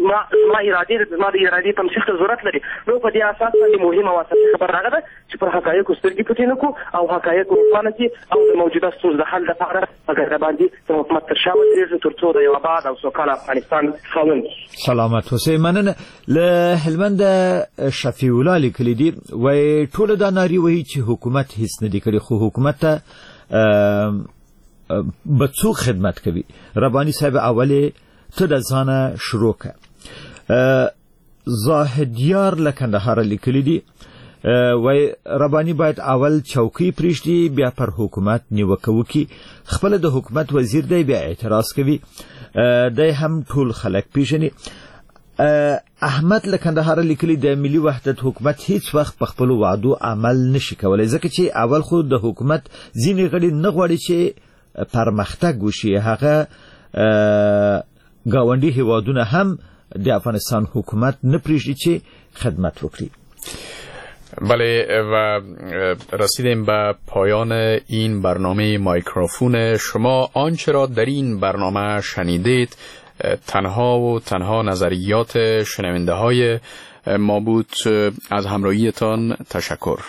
ما زما ارادې زما د ارادې تمثیل ته ضرورت لري. نو په دې اساس باندې مهمه او اساسي خبره هغه ده چې پر حقایقو سترګې پټې نه کړو او حقایق روښانه کړي او د موجوده ستونزو د حل لپاره په ګډه باندې د حکومت تر شا ودرېږو تر څو د یو اباد او سوکاله افغانستان خاوند. سلامت اوسئ. مننه. له هلمنده شفیع الله لیکلي دي، وایي ټوله دا نارې وهي چې حکومت هیڅ نه دي کړي، خو حکومت ته به څوک خدمت کوي؟ رباني صاحب اولې ته د ځانه شروع که. زاهدیار له کندهاره لیکلي دي، وایي رباني باید اول چوکۍ پرېږدي بیا پر حکومت نیوکه وکړي، خپله د حکومت وزیر دی بیا اعتراض کوي، دی هم ټول خلک پیژني. احمد له کندهاره لیکلي، د ملي وحدت حکومت هیڅ وخت په خپلو وعدو عمل نشي کولی، ځکه چې اول خو د حکومت ځینې غړي نه غواړي چې پرمختګ وشي، هغه ګاونډي هیوادونه هم د افغانستان حکومت نه پرېږدي چې خدمت وکړي. بله، و رسیدیم به پایان این برنامه مایکروفون شما. آنچه را در این برنامه شنیدید تنها و تنها نظریات شنونده های ما بود. از همراهیتان تشکر.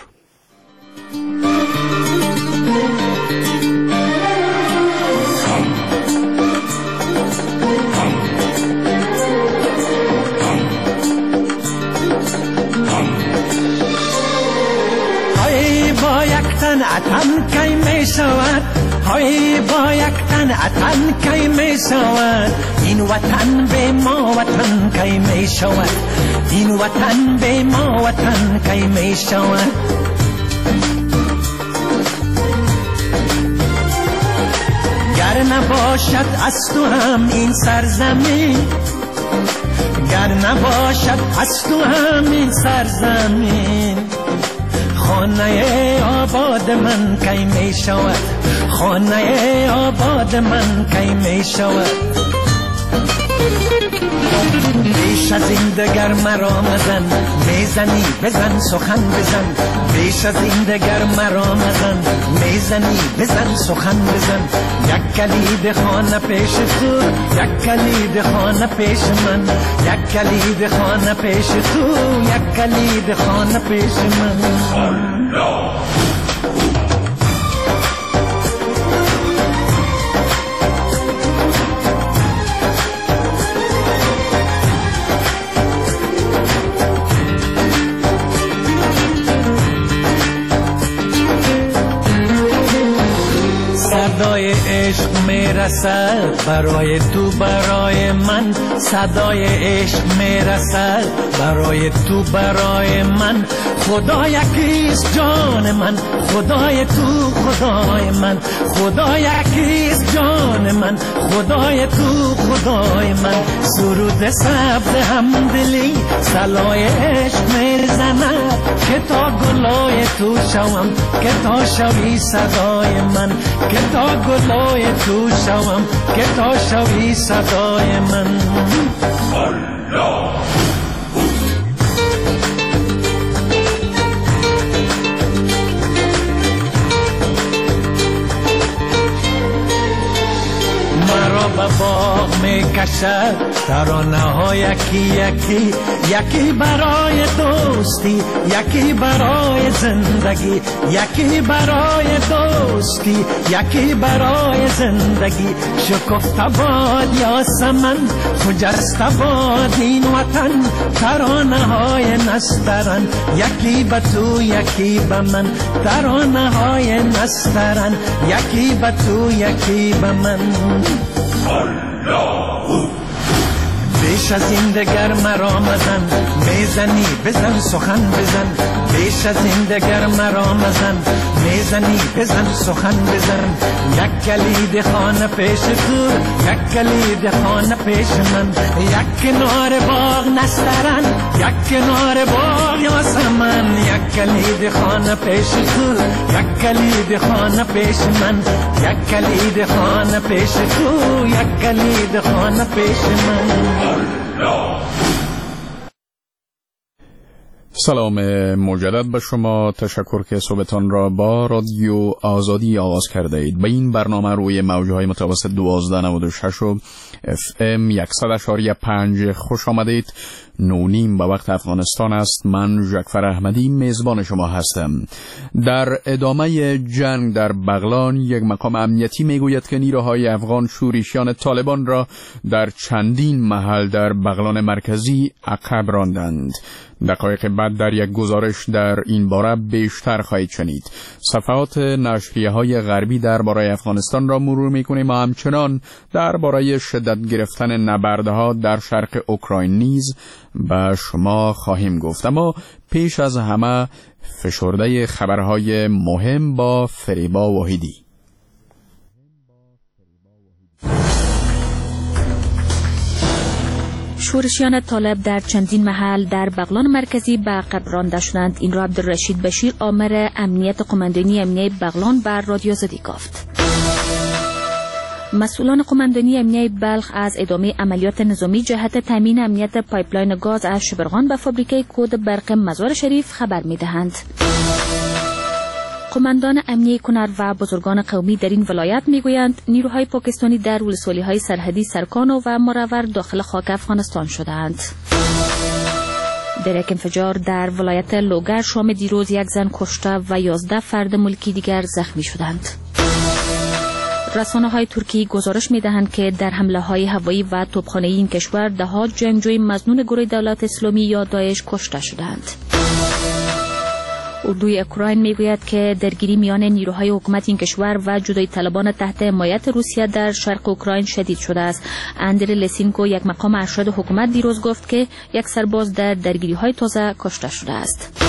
با یک تن اتن کی می شود، های با یک تن اتن کی می شود، این وطن به ما وطن کی می شود، این وطن به ما وطن کی می شود. گر نباشد از تو هم این سرزمین، گر نباشد از تو هم این سرزمین، خانه آباد من کی می شود، خانه آباد من کی می شود. بیش از این دگر مرا مزن، میزنی بزن سخن بزن، بیش از این دگر مرا مزن، میزنی بزن سخن بزن، یک کلید خانه پیش تو، یک کلید خانه پیش من، یک کلید خانه پیش تو، یک کلید خانه پیش من. الله. صدای عشق میرسد برای تو برای من، صدای عشق میرسد برای تو برای من، خدا یکیست جان من، خدای تو خدای من، خدا یکیست جان من، خدای تو خدای من. سرود سبز همدلی صلای عشق میزند، که تا گلای تو شوم، که تا شوی صدای من، که تا گلای تو شوم، که تا شوی صدای من. الله مرا به باغ میکشد ترانه ها یکی یکی، یکی برای دوستی، یکی برای زندگی، یکی برای دوستی، یکی برای زندگی. شکفته باد یاسمن، خجسته باد این وطن، ترانه های نسترن، یکی به تو یکی به من، ترانه های نسترن، یکی به تو یکی به من. الله بیش از این دگر مرا مزن، میزنی بزن سخن بزن، بیش از این دگر مرا مزن، میزنی بزن سخن بزن. یک کلید خانه پیش تو، یک کلید خانه پیش من، یک کنار باغ نسترن، یک کنار باغ یاسمن، یک کلید خانه پیش تو، یک کلید خانه پیش من، یک کلید خانه پیش تو، یک کلید خانه پیش من. سلام مجدد به شما، تشکر که صحبتان را با رادیو آزادی آغاز کرده اید. به این برنامه روی موجهای متوسط دوازده نود و شش و اف ام صد و پنج خوش آمدید. نه نیم به وقت افغانستان است. من جعفر احمدی میزبان شما هستم. در ادامه جنگ در بغلان، یک مقام امنیتی میگوید که نیروهای افغان شورشیان طالبان را در چندین محل در بغلان مرکزی عقب راندند. دقایق بعد در یک گزارش در این باره بیشتر خواهید شنید. صفحات نشریه های غربی درباره افغانستان را مرور میکنیم و همچنان درباره شدت گرفتن نبردها در شرق اوکراین نیز به شما خواهیم گفت. اما پیش از همه فشرده خبرهای مهم با فریبا واحدی. شورشیان طالب در چندین محل در بغلان مرکزی به عقب رانده شدند. این را عبدالرشید بشیر آمر امنیت قماندانی امنیه بغلان بر رادیو آزادی گفت. مسئولان قماندانی امنیه بلخ از ادامه عملیات نظامی جهت تامین امنیت پایپلاین گاز از شبرغان به فابریکه کود برق مزار شریف خبر می‌دهند. قماندان امنیه کنر و بزرگان قومی در این ولایت میگویند نیروهای پاکستانی در ولسوالی‌های سرحدی سرکانو و مرور داخل خاک افغانستان شدند. در یک انفجار در ولایت لوگر شام دیروز یک زن کشته و یازده فرد ملکی دیگر زخمی شدند. رسانه‌های ترکی گزارش می‌دهند که در حمله‌های هوایی و توپخانه‌ای این کشور ده‌ها جنگجوی مظنون گروه دولت اسلامی یا داعش کشته شدند. اردوی اوکراین میگوید که درگیری میان نیروهای حکومت این کشور و جدایی طلبان تحت حمایت روسیه در شرق اوکراین شدید شده است. اندری لسینکو یک مقام ارشد حکومت دیروز گفت که یک سرباز در درگیری‌های تازه کشته شده است.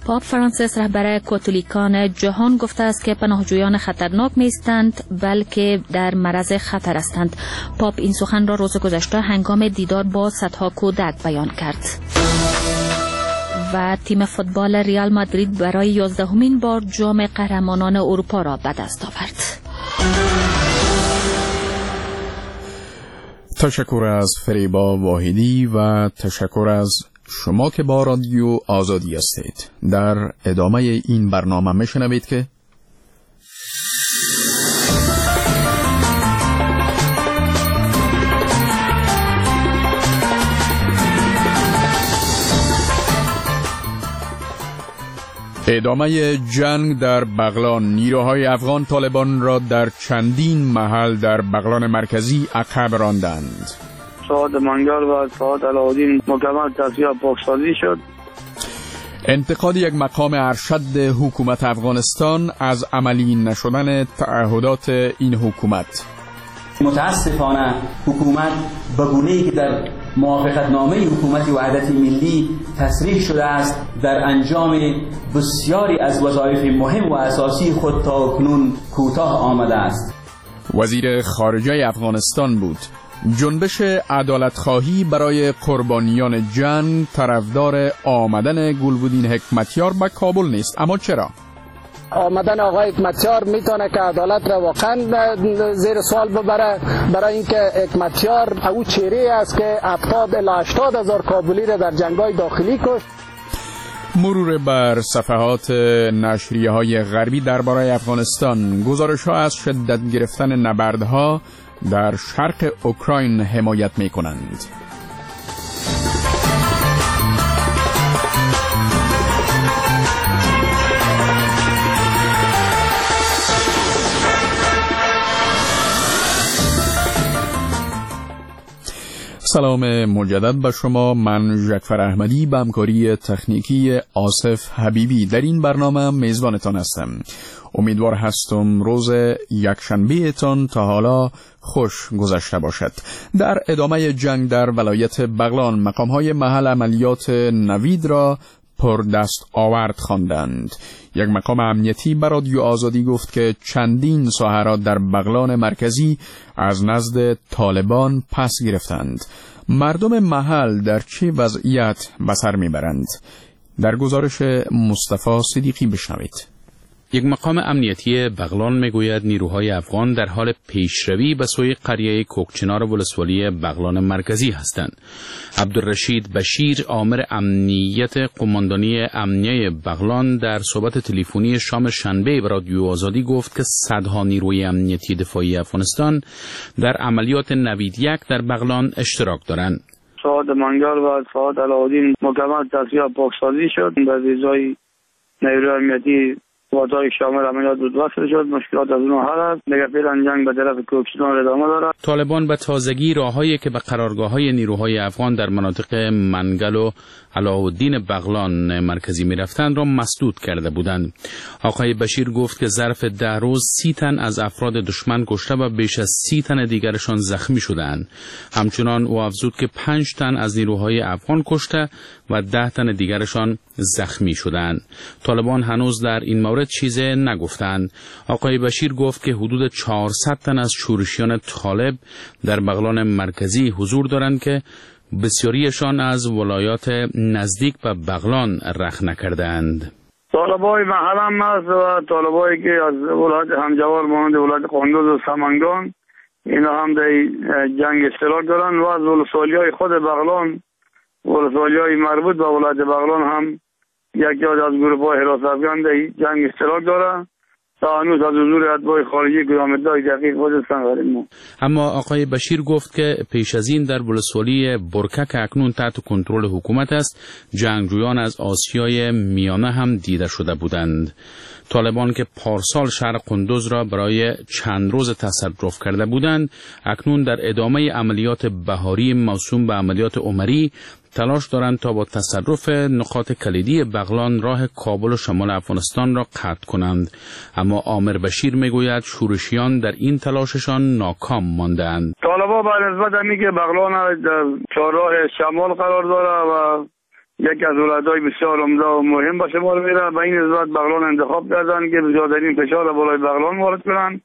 پاپ فرانسیس رهبر کاتولیکان جهان گفته است که پناهجویان خطرناک نیستند بلکه در معرض خطر هستند. پاپ این سخن را روز گذشته هنگام دیدار با صدها کودک بیان کرد. و تیم فوتبال ریال مادرید برای یازدهمین بار جام قهرمانان اروپا را به دست آورد. تشکر از فریبا واحدی و تشکر از شما که با رادیو آزادی هستید. در ادامه این برنامه میشنوید که ادامه جنگ در بغلان، نیروهای افغان طالبان را در چندین محل در بغلان مرکزی عقب راندند. ساعت منگل و ساعت علاءالدین مکمل تصفیه پاکسازی شد. انتقاد یک مقام ارشد حکومت افغانستان از عملی نشدن تعهدات این حکومت. متاسفانه حکومت به گونه‌ای که در موافقتنامه حکومت وحدت ملی تصریح شده است در انجام بسیاری از وظایف مهم و اساسی خود تا کنون کوتاه آمده است. وزیر خارجه افغانستان بود. جنبش عدالتخواهی برای قربانیان جنگ طرفدار آمدن گلبدین حکمتیار به کابل نیست، اما چرا؟ آمدن آقای حکمتیار میتونه که عدالت را واقعا زیر سوال ببره، برای اینکه حکمتیار او چهره است که هفتاد الی هشتاد هزار کابلی را در جنگ‌های داخلی کشت. مرور بر صفحات نشریه های غربی درباره افغانستان، گزارش ها از شدت گرفتن نبردها در شرق اوکراین حمایت می کنند. سلام مجدد به شما، من جعفر احمدی به همکاری تکنیکی آصف حبیبی در این برنامه میزبانتان هستم. امیدوار هستم روز یکشنبه تان تا حالا خوش گذشته باشد. در ادامه جنگ در ولایت بغلان، مقام‌های محل عملیات نوید را پردست آورد خواندند. یک مقام امنیتی به رادیو آزادی گفت که چندین ساحه را در بغلان مرکزی از نزد طالبان پس گرفتند. مردم محل در چه وضعیت به سر میبرند؟ در گزارش مصطفی صدیقی بشنوید. یک مقام امنیتی بغلان میگوید نیروهای افغان در حال پیشروی به سوی قریه کوکچنار ولسوالی بغلان مرکزی هستند. عبدالرشید بشیر، آمر امنیت قماندانی امنیه بغلان، در صحبت تلفنی شام شنبه به رادیو آزادی گفت که صدها نیروی امنیتی دفاعی افغانستان در عملیات نوید یک در بغلان اشتراک دارند. سعاد منگل و سعاد علاءالدین مکمل تصفیه پاکسازی شد. به ویزای نیروی امنیتی وادای شامل عملیات بود وصل شد. مشکلات از اون حل است. دیگه فعلا جنگ به طرف کوکچنار ادامه دارد. طالبان به تازگی راههایی که به قرارگاه‌های نیروهای افغان در مناطق منگل و علاءالدین بغلان مرکزی می‌رفتند را مسدود کرده بودند. آقای بشیر گفت که ظرف ده روز سی تن از افراد دشمن کشته و بیش از سی تن دیگرشان زخمی شدند. همچنان او افزود که پنج تن از نیروهای افغان کشته و ده تن دیگرشان زخمی شدند. طالبان هنوز در این مورد چیز نگفتند. آقای بشیر گفت که حدود چهارصد تن از شورشیان طالب در بغلان مرکزی حضور دارند که بسیاریشان از ولایات نزدیک به بغلان رخ نکردند. طالبای محل هم هست و طالبایی که از ولایت همجوار مانند ولایت قندوز و سمنگان، اینا هم در جنگ اشتراک دارند و از ولسوالی‌های خود بغلان، ولسوالی‌های مربوط به ولایت بغلان هم یکی از گروه‌های حراست افغان در جنگ اشتراک دارند. تا هنوز از حضور اتباع خارجی کدام ادعای دقیق وجود ندارد. اما آقای بشیر گفت که پیش از این در ولسوالی برکه که اکنون تحت کنترل حکومت است، جنگجویان از آسیای میانه هم دیده شده بودند. طالبان که پارسال شهر قندوز را برای چند روز تصرف کرده بودند، اکنون در ادامه عملیات بهاری موسوم به عملیات عمری تلاش دارند تا با تصرف نقاط کلیدی بغلان راه کابل و شمال افغانستان را قطع کنند. اما آمر بشیر میگوید شورشیان در این تلاششان ناکام ماندند. طالبان بر نسبت همی که بغلان در چهارراه شمال قرار داره و یکی از ولایت‌های بسیار عمده و مهم به شمار میره، به این نسبت بغلان انتخاب کردند که زیادترین فشار بالای بغلان وارد کنند.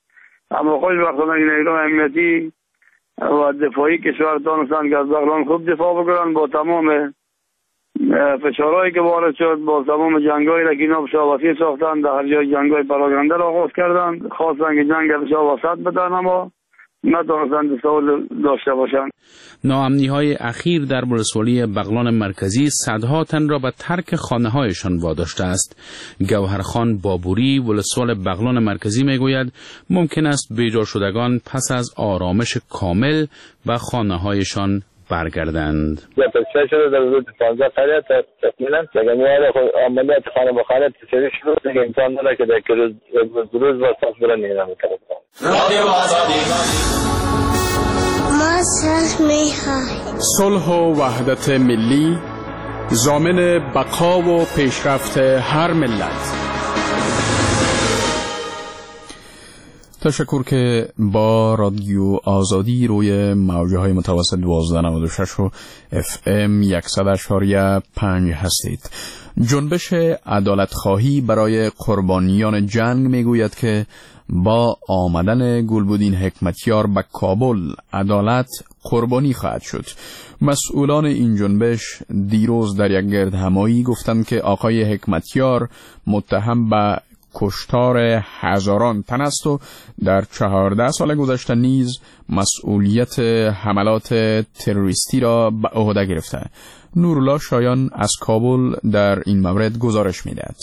اما خوشبختانه این نیروی امنیتی و دفاعی کشور دانستند که از بغلان خوب دفاع بکنند. با تمام فشارهایی که وارد شد، با تمام جنگ‌هایی که اینا بسیار وسیع ساختند، در هر جای جنگ‌های پراکنده را آغاز کردند، خواستند که جنگ بسیار وسط بدن، اما نتوانستند سوال داشته باشند. ناامنی‌های اخیر در ولسوالی بغلان مرکزی صدها تن را به ترک خانه‌هایشان واداشته است. گوهرخان بابوری، ولسوال بغلان مرکزی، میگوید ممکن است بیجا شدگان پس از آرامش کامل به خانه‌هایشان برگردند. تصفیه شده در حدود پانزده قریه تقریبا. دیگه عملیات خانه به خانه تصفیه شده، دیگه امکان داره که در روز روز با صف برن اینا می‌کنن. ما صلح می‌خواهیم. صلح و وحدت ملی ضامن بقا و پیشرفت هر ملت. تشکر که با رادیو آزادی روی موجه های متوسط دوازده نود و شش و اف ام صد و پنج هستید. جنبش عدالت خواهی برای قربانیان جنگ میگوید که با آمدن گلبدین حکمتیار به کابل عدالت قربانی خواهد شد. مسئولان این جنبش دیروز در یک گردهمایی گفتند که آقای حکمتیار متهم به کشتار هزاران تن است و در چهارده سال گذشته نیز مسئولیت حملات تروریستی را به عهده گرفته. نورالله شایان از کابل در این مورد گزارش می‌دهد.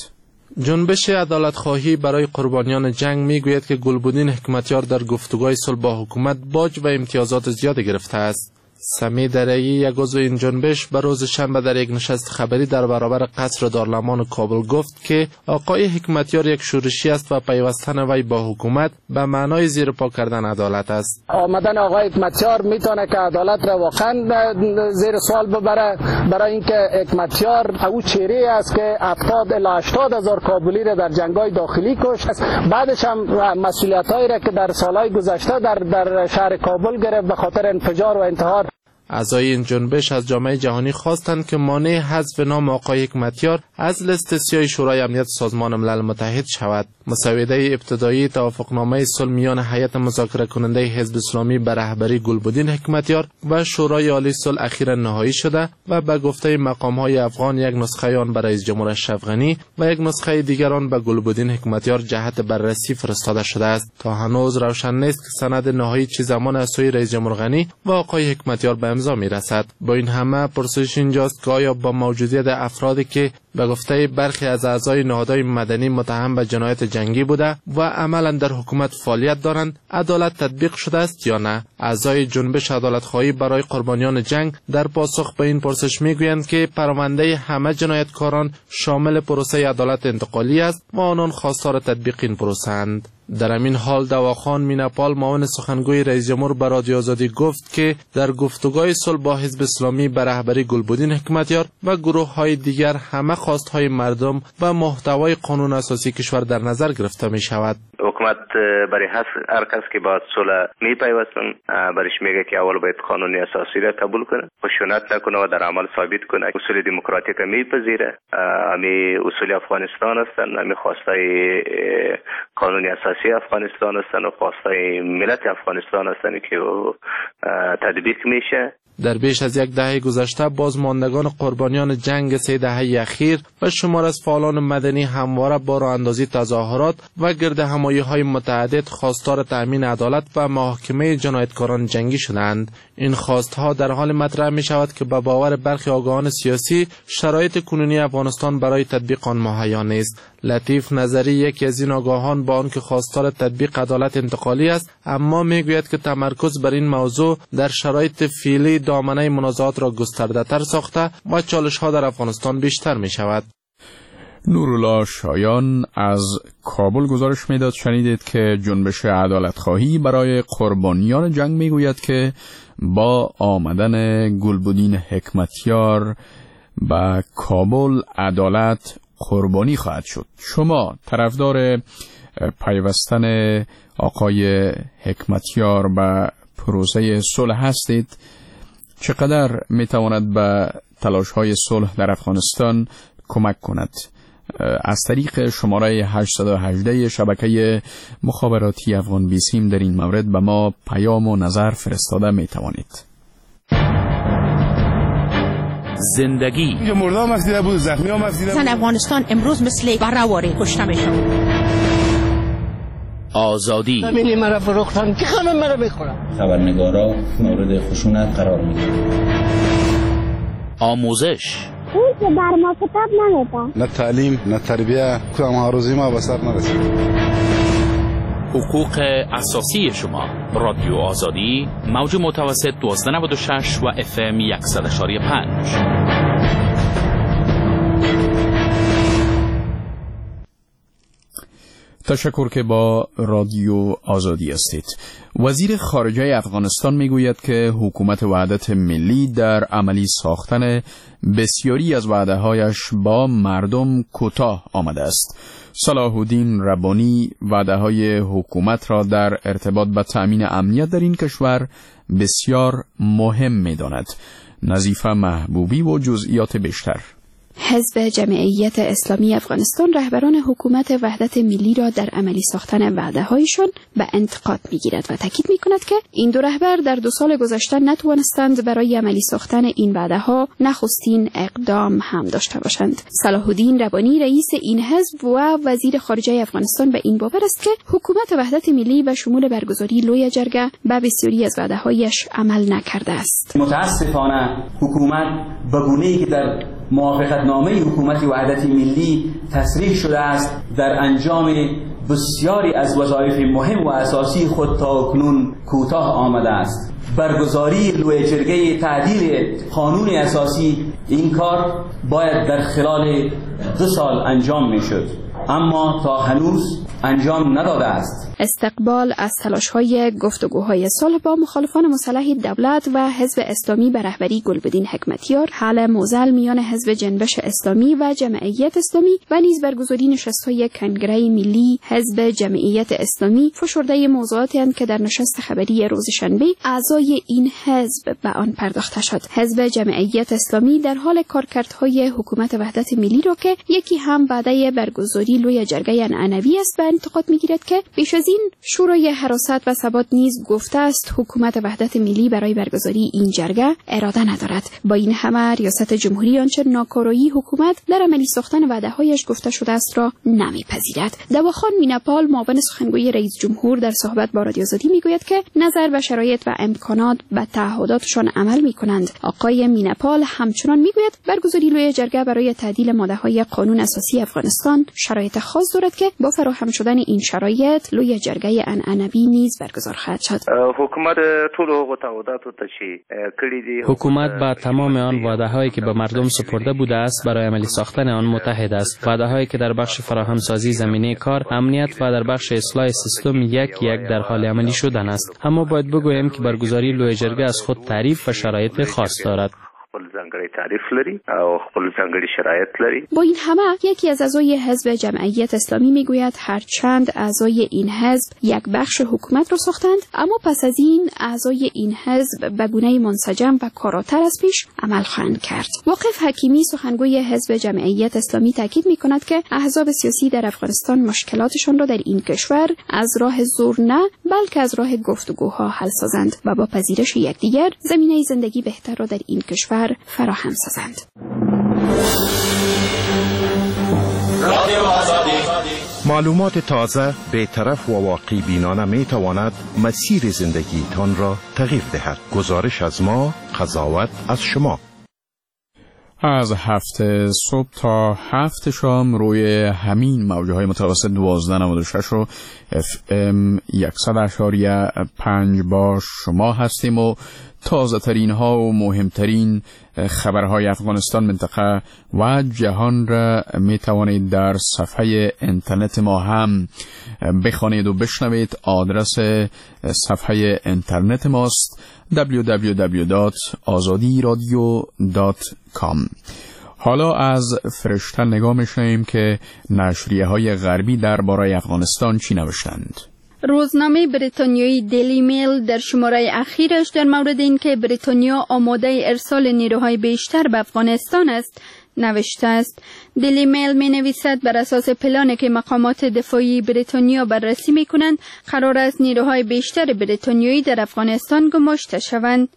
جنبش عدالت خواهی برای قربانیان جنگ میگوید که گلبدین حکمتیار در گفتگوهای صلح با حکومت باج و امتیازات زیاد گرفته است. سمی درعی، یک عضو این جنبش، به روز شنبه در یک نشست خبری در برابر قصر دارالمان کابل گفت که آقای حکمتیار یک شورشی است و پیوستن وی با حکومت به معنای زیر پا کردن عدالت است. آمدن آقای حکمتیار میتونه که عدالت را واقعا زیر سوال ببره، برای اینکه حکمتیار او چهره است که هفتاد الی هشتاد هزار کابلی را در جنگ‌های داخلی کشت. بعدش هم مسئولیت‌هایی را که در سال‌های گذشته در در شهر کابل گرفت به خاطر انفجار و انتحار. اعضای این جنبش از جامعه جهانی خواستند که مانع حذف نام آقای حکمتیار از لیست سیاه شورای امنیت سازمان ملل متحد شود. مسوده ابتدایی توافقنامه صلح میان هیئت مذاکره کننده حزب اسلامی به رهبری گلبدین حکمتیار و شورای عالی صلح اخیرا نهایی شده و به گفته مقام‌های افغان یک نسخه آن به رئیس جمهور اشرف غنی و یک نسخه دیگر آن به گلبدین حکمتیار جهت بررسی فرستاده شده است. تا هنوز روشن نیست که سند نهایی چه زمان از سوی رئیس جمهور غنی و آقای حکمتیار به امضا می‌رسد. با این همه پرسش اینجاست که آیا با موجودیت افرادی که به گفته برخی از اعضای نهادهای مدنی متهم به جنایت جنگی بوده و عملا در حکومت فعالیت دارند، عدالت تطبیق شده است یا نه؟ اعضای جنبش عدالتخواهی برای قربانیان جنگ در پاسخ به این پرسش میگویند که پرونده همه جنایتکاران شامل پروسه عدالت انتقالی است و آنان خواستار تطبیق این پروسه اند. در همین حال دواخان میناپال، معاون سخنگوی رئیس جمهور، به رادیو آزادی گفت که در گفتگوهای صلح با حزب اسلامی به رهبری گلبدین حکمتیار و گروه‌های دیگر همه خواست‌های مردم و محتوای قانون اساسی کشور در نظر گرفته می شود. حکومت برای هر کس که با صلح می پیوستن برش میگه که اول باید قانون اساسی را قبول کنه، خشونت نکنه و در عمل ثابت کنه. اصول دموکراتیک میپذیره، امی اصول افغانستان هستند، امی خواستای قانون اساسی افغانستان هستند و خواستای ملت افغانستان هستند که تطبیق میشه. در بیش از یک دهه گذشته بازماندگان قربانیان جنگ سه دهه اخیر و شمار از فعالان مدنی همواره با راه اندازی تظاهرات و گرد همایی های متعدد خواستار تأمین عدالت و محاکمه جنایتکاران جنگی شدند. این خواستها در حال مطرح می شود که به باور برخی آگاهان سیاسی شرایط کنونی افغانستان برای تطبیق آن مهیا نیست. لطیف نظری، یکی از این آگاهان، با آنکه خواستار تطبیق عدالت انتقالی است، اما میگوید که تمرکز بر این موضوع در شرایط فعلی دامنه منازعات را گسترده‌تر ساخته و چالش‌ها در افغانستان بیشتر می‌شود. نورالله شایان از کابل گزارش میداد. شنیدید که جنبش عدالتخواهی برای قربانیان جنگ میگوید که با آمدن گلبدین حکمتیار به کابل عدالت قربانی خواهد شد. شما طرفدار پیوستن آقای حکمتیار به پروسه صلح هستید؟ چقدر میتواند به تلاش‌های صلح در افغانستان کمک کند؟ از طریق شماره هشت یک هشت شبکه مخابراتی افغان بیسیم در این مورد به ما پیام و نظر فرستاده میتوانید. زندگی اینجا مرده هم افزیده بود، زخمی هم افزیده بود. زن افغانستان امروز مثل برواری کشته میشه. آزادی زمینی مرا فروختن که خانم مرا بخورم. خبرنگارا مورد خشونت قرار میگیرند. آموزش اون که بر ما کتاب نمیدن، نه تعلیم نه تربیه، کدام آرزوی ما به سر نرسید. حقوق اساسی شما، رادیو آزادی، موج متوسط دوازده نود و شش و اف ام صد و پنج. تشکر که با رادیو آزادی هستید. وزیر خارجه افغانستان میگوید که حکومت وحدت ملی در عملی ساختن بسیاری از وعده‌هایش با مردم کوتاه آمده است. صلاح الدین ربانی وعده‌های حکومت را در ارتباط با تأمین امنیت در این کشور بسیار مهم می‌داند. نظیفه محبوبی و جزئیات بیشتر. حزب جمعیت اسلامی افغانستان رهبران حکومت وحدت ملی را در عملی ساختن وعده‌هایشان به انتقاد می‌گیرد و تاکید می‌کند که این دو رهبر در دو سال گذشته نتوانستند برای عملی ساختن این وعده‌ها نخستین اقدام هم داشته باشند. صلاح الدین ربانی رئیس این حزب و وزیر خارجه افغانستان به این باور است که حکومت وحدت ملی به شمول برگزاری لویه جرگه به بسیاری از وعده‌هایش عمل نکرده است. متاسفانه حکومت به گونه‌ای که در موافقتنامه حکومت وحدت ملی تصریح شده است در انجام بسیاری از وظایف مهم و اساسی خود تا اکنون کوتاه آمده است. برگزاری لویه جرگه تعدیل قانون اساسی، این کار باید در خلال دو سال انجام میشد، اما تا هنوز انجام نداده است. استقبال از تلاش‌های گفتگوهای صلح با مخالفان مسلح دولت و حزب اسلامی به رهبری گلبدین حکمتیار، حل معضل میان حزب جنبش اسلامی و جمعیت اسلامی و نیز برگزاری نشست‌های کنگره ملی حزب جمعیت اسلامی فشرده موضوعاتی اند که در نشست خبری روز شنبه اعضای این حزب به آن پرداخته شد. حزب جمعیت اسلامی در حال کارکردهای حکومت وحدت ملی را که یکی هم وعده برگزاری لوی جرگه عنعنوی است به انتقاد می‌گیرد که بیش از این شورای حراست و ثبات نیز گفته است حکومت وحدت ملی برای برگزاری این جرگه اراده ندارد. با این همه ریاست جمهوری آنچه ناکارایی حکومت در عملی ساختن وعده‌هایش گفته شده است را نمیپذیرد. دواخان میناپال معاون سخنگوی رئیس جمهور در صحبت با رادیو آزادی میگوید که نظر به شرایط و امکانات به تعهداتشان عمل میکنند. آقای میناپال همچنان میگوید برگزاری لوی جرگه برای تعدیل ماده‌های قانون اساسی افغانستان شرایط خاص دارد که با فراهم شدن این شرایط لوی جرگه عنعنوی نیز برگزار خواهد شد. حکومت طول حقوق تعهدات حکومت با تمام آن وعده‌هایی که به مردم سپرده بوده است برای عملی ساختن آن متحد است. وعده‌هایی که در بخش فراهم سازی زمینه کار، امنیت و در بخش اصلاح سیستم یک یک در حال عملی شدن است. اما باید بگویم که برگزاری لوی جرگه از خود تعریف و شرایط خاص دارد. تعریف لري او خپل ځانګړي شرایط لري. با این همه یکی از اعضای حزب جمعیت اسلامی میگوید هرچند اعضای این حزب یک بخش حکومت را ساختند، اما پس از این اعضای این حزب به گونه منسجم و کاراتر از پیش عمل خواهند کرد. واقف حکیمی سخنگوی حزب جمعیت اسلامی تاکید میکند که احزاب سیاسی در افغانستان مشکلاتشان را در این کشور از راه زور نه، بلکه از راه گفتگوها حل سازند و با پذیرش یکدیگر زمینه زندگی بهتر را در این کشور فراهم سازند. معلومات تازه، بی‌طرف و واقع بینانه می تواند مسیر زندگیتان را تغییر دهد. گزارش از ما، قضاوت از شما. از هفت صبح تا هفت شام روی همین موجه های متوسط دوازده نود و شش و اف ام صد اعشاریه پنج با شما هستیم و تازه ترین ها و مهمترین خبرهای افغانستان، منطقه و جهان را می توانید در صفحه اینترنت ما هم بخوانید و بشنوید. آدرس صفحه اینترنت ماست دبلیو دبلیو دبلیو دات آزادی رادیو دات کام. حالا از فرشته نگاه می‌شنویم که نشریه های غربی درباره افغانستان چی نوشتند. روزنامه بریتانیایی دیلی میل در شماره اخیرش در مورد اینکه بریتانیا آماده ارسال نیروهای بیشتر به افغانستان است نوشته است. دیلی میل می نویسد بر اساس پلانی که مقامات دفاعی بریتانیا بررسی می کنند قرار است نیروهای بیشتر بریتانیایی در افغانستان گماشته شوند.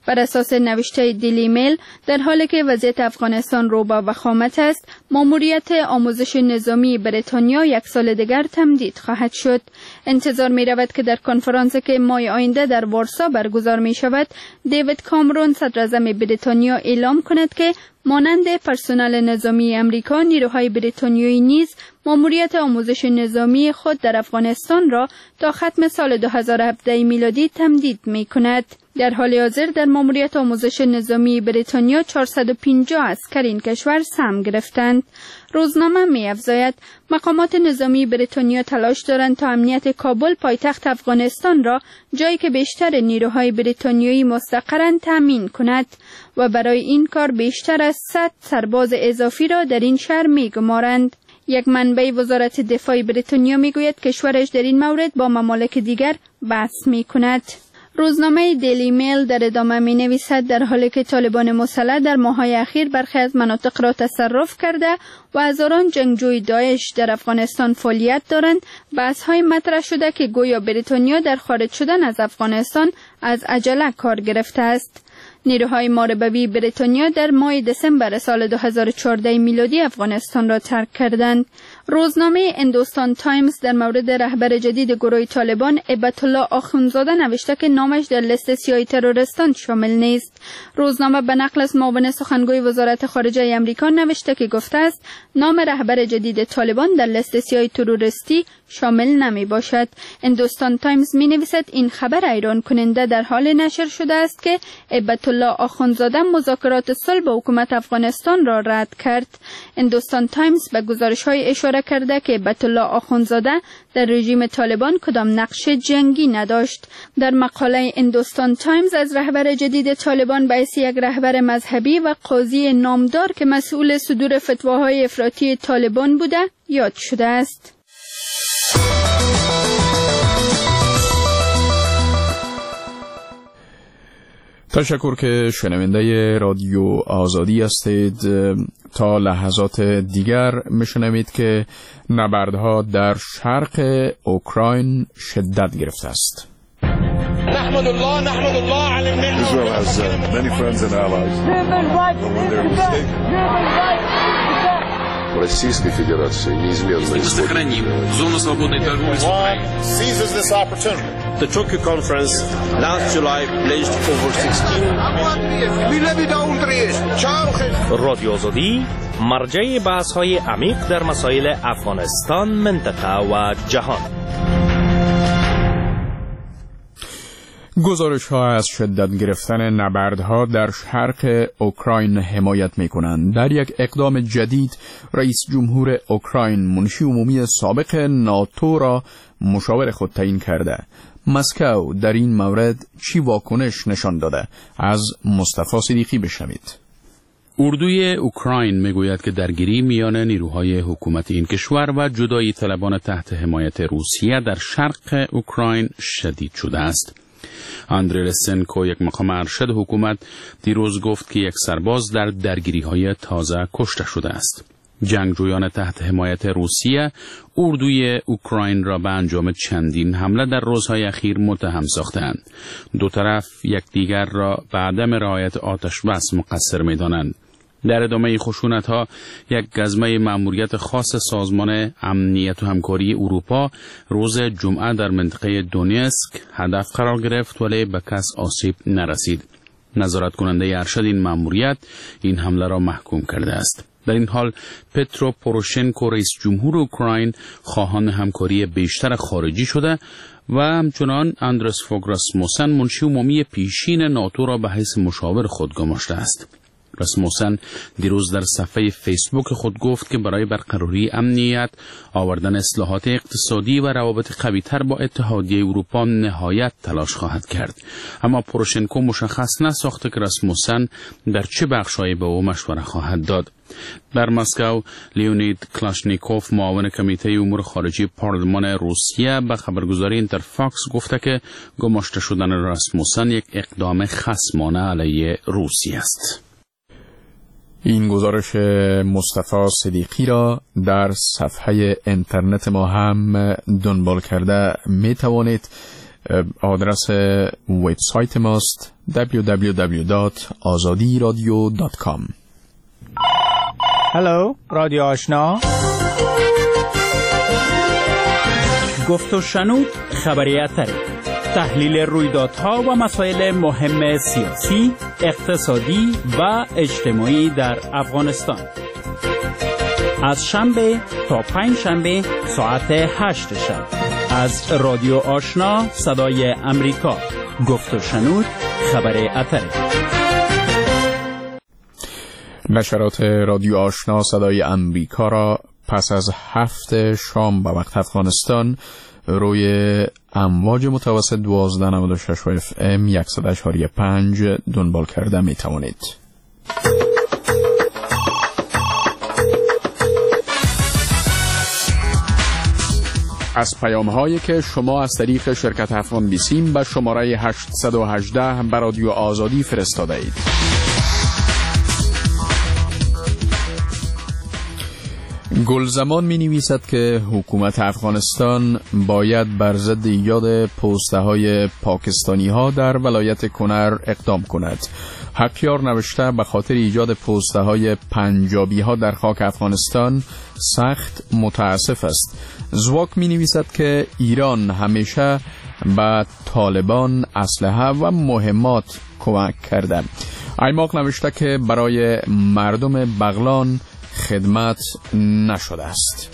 بر اساس نوشته دیلی میل در حالی که وضعیت افغانستان رو به وخامت است، ماموریت آموزش نظامی بریتانیا یک سال دیگر تمدید خواهد شد. انتظار می رود که در کنفرانسی که ماه آینده در وارسا برگزار می شود، دیوید کامرون صدراعظم بریتانیا اعلام کند که مانند پرسنل نظامی امریکا، نیروهای بریتانیایی نیز ماموریت آموزش نظامی خود در افغانستان را تا ختم سال دو هزار و هفده میلادی تمدید می کند. در حال حاضر در ماموریت آموزش نظامی بریتانیا چهارصد و پنجاه عسکر این کشور سهم گرفتند. روزنامه می افزاید مقامات نظامی بریتانیا تلاش دارند تا امنیت کابل پایتخت افغانستان را، جایی که بیشتر نیروهای بریتانیایی مستقرند، تامین کند و برای این کار بیشتر از صد سرباز اضافی را در این شهر می گمارند. یک منبع وزارت دفاع بریتانیا میگوید کشورش در این مورد با ممالک دیگر بحث می کند. روزنامه دیلی میل در ادامه می نویسد در حالی که طالبان مسلح در ماه‌های اخیر برخی از مناطق را تصرف کرده و هزاران جنگجوی داعش در افغانستان فعالیت دارند، بحث‌های مطرح شده که گویا بریتانیا در خارج شدن از افغانستان از عجله کار گرفته است. نیروهای محاربوی بریتانیا در ماه دسامبر سال دو هزار و چهارده میلادی افغانستان را ترک کردند. روزنامه هندوستان تایمز در مورد رهبر جدید گروه طالبان هبت الله آخوندزاده نوشته که نامش در لیست سیاه تروریستان شامل نیست. روزنامه به نقل از معاون سخنگوی وزارت خارجه امریکا نوشته که گفته است نام رهبر جدید طالبان در لیست سیاه تروریستی شامل نمی باشد. هندوستان تایمز می نویسد این خبر حیران کننده در حال نشر شده است که هبت الله آخوندزاده مذاکرات صلح با حکومت افغانستان را رد کرد. هندوستان تایمز به گزارش‌های اشاره کرده که هبت الله آخوندزاده در رژیم طالبان کدام نقش جنگی نداشت. در مقاله هندوستان تایمز از رهبر جدید طالبان به حیث یک رهبر مذهبی و قاضی نامدار که مسئول صدور فتواهای افراطی طالبان بوده یاد شده است. تشکر که شنونده رادیو آزادی هستید. تا لحظات دیگر میشنوید که نبردها در شرق اوکراین شدت گرفته است. نحمد الله نحمد الله على النعمة. Israel has uh, many friends and allies. But when they're mistaken, Российской Федерации неизменно сохраним зону свободной торговли с Украиной. Seizes this opportunity. The Tokyo conference last July pledged over sixteen. رادیو آزادی مرجع بحث‌های عمیق در مسائل افغانستان، منطقه و جهان. گزارش ها از شدت گرفتن نبردها در شرق اوکراین حمایت می کنند. در یک اقدام جدید رئیس جمهور اوکراین منشی عمومی سابق ناتو را مشاور خود تعیین کرده. مسکو در این مورد چی واکنش نشان داده؟ از مصطفی صدیقی بشنوید. اردوی اوکراین میگوید که درگیری میان نیروهای حکومت این کشور و جدایی طلبان تحت حمایت روسیه در شرق اوکراین شدید شده است. آندری لسنکو، یک مقام ارشد حکومت، دیروز گفت که یک سرباز در درگیری‌های تازه کشته شده است. جنگجویان تحت حمایت روسیه اردوی اوکراین را به انجام چندین حمله در روزهای اخیر متهم ساختند. دو طرف یکدیگر را به عدم رعایت آتش بس مقصر می‌دانند. در ادامه خشونت‌ها یک گزمه مأموریت خاص سازمان امنیت و همکاری اروپا روز جمعه در منطقه دونیسک هدف قرار گرفت، ولی به کس آسیب نرسید. نظارت کننده ارشد این مأموریت این حمله را محکوم کرده است. در این حال پترو پوروشنکو رئیس جمهور اوکراین خواهان همکاری بیشتر خارجی شده و همچنان اندرس فوگ راسموسن منشی عمومی پیشین ناتو را به حیث مشاور خود گماشته است. راسموسن دیروز در صفحه فیسبوک خود گفت که برای برقراری امنیت، آوردن اصلاحات اقتصادی و روابط قوی‌تر با اتحادیه اروپا نهایت تلاش خواهد کرد. اما پروشنکو مشخص نساخته که راسموسن در چه بخش‌هایی به او مشوره خواهد داد. در مسکو لیونید کلاشنیکوف معاون کمیته امور خارجی پارلمان روسیه به خبرگزاری اینترفاکس گفته که گماشته شدن راسموسن یک اقدام خصمانه علیه روسیه است. این گزارش مصطفی صدیقی را در صفحه اینترنت ما هم دنبال کرده می توانید. آدرس وبسایت ماست دبلیو دبلیو دبلیو دات آزادی رادیو دات کام. هلو رادیو آشنا، گفت و شنود، خبری اتری، تحلیل رویدادها و مسائل مهم سیاسی، اقتصادی و اجتماعی در افغانستان. از شنبه تا پنج شنبه ساعت هشت شب از رادیو آشنا صدای امریکا، گفت و شنود، خبر اتری. نشرات رادیو آشنا صدای امریکا را پس از هفت شام به وقت افغانستان روی امواج متوسط دوازده نود و شش اف ام صد و چهار پنج دنبال کرده می توانید. از پیام هایی که شما از طریق شرکت افغان بیسیم به شماره هشت یک هشت به رادیو آزادی فرستاده اید. گلزمان می نویسد که حکومت افغانستان باید بر ضد ایجاد پوسته های پاکستانی ها در ولایت کنر اقدام کند. حقیار نوشته به خاطر ایجاد پوسته های پنجابی ها در خاک افغانستان سخت متاسف است. زواک می نویسد که ایران همیشه به طالبان اسلحه و مهمات کمک کرده. ایماق نوشته که برای مردم بغلان خدمت نشده است.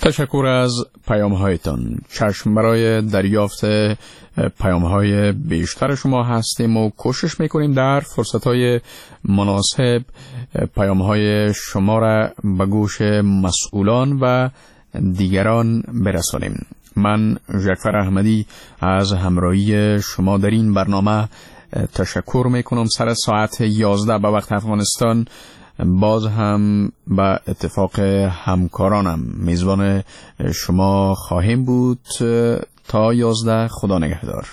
تشکر از پیام هایتان. چشم برای دریافت پیام های بیشتر شما هستیم و کوشش میکنیم در فرصت های مناسب پیام های شما را به گوش مسئولان و دیگران برسانیم. من جعفر احمدی از همراهی شما در این برنامه تشکر میکنم. سر ساعت یازده به وقت افغانستان باز هم به اتفاق همکارانم میزبان شما خواهیم بود تا یازده. خدا نگهدار.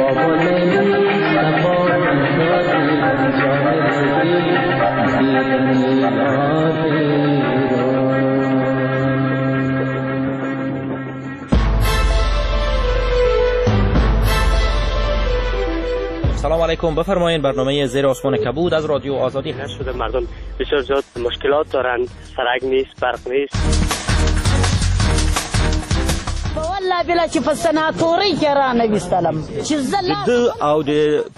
سلام علیکم، بفرمایید برنامه زیر آسمان کبود از رادیو آزادی. شده مردم بسیار زیاد مشکلات دارند، سرک نیست، برق نیست. والله بلا چې په سناتوري کې را نه وستلم چې زه د او د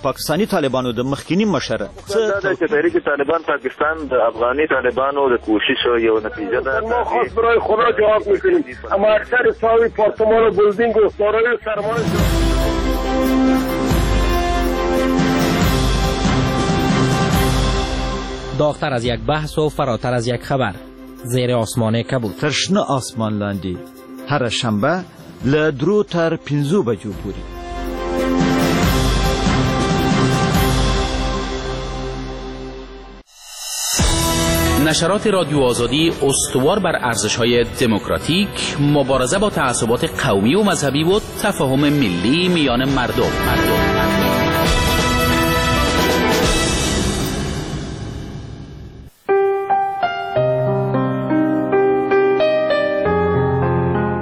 پاکستاني طالبانو د مخکینی مشر څه چې تحریک طالبان پاکستان د افغاني طالبانو د کوشش یو نتیجه ده. ما خاص برای خدا جواب میکنیم، اما اکثر ساوی پارتمان و بلدینگ و دارای سرمایه. داغتر از یک بحث و فراتر از یک خبر، زیر آسمان کبود. تر شنه آسمان لاندې هره شنبه له درو تر پنځو بجو پورې. نشرات رادیو آزادی استوار بر ارزش‌های دموکراتیک، مبارزه با تعصبات قومی و مذهبی و تفاهم ملی میان مردم. مردم.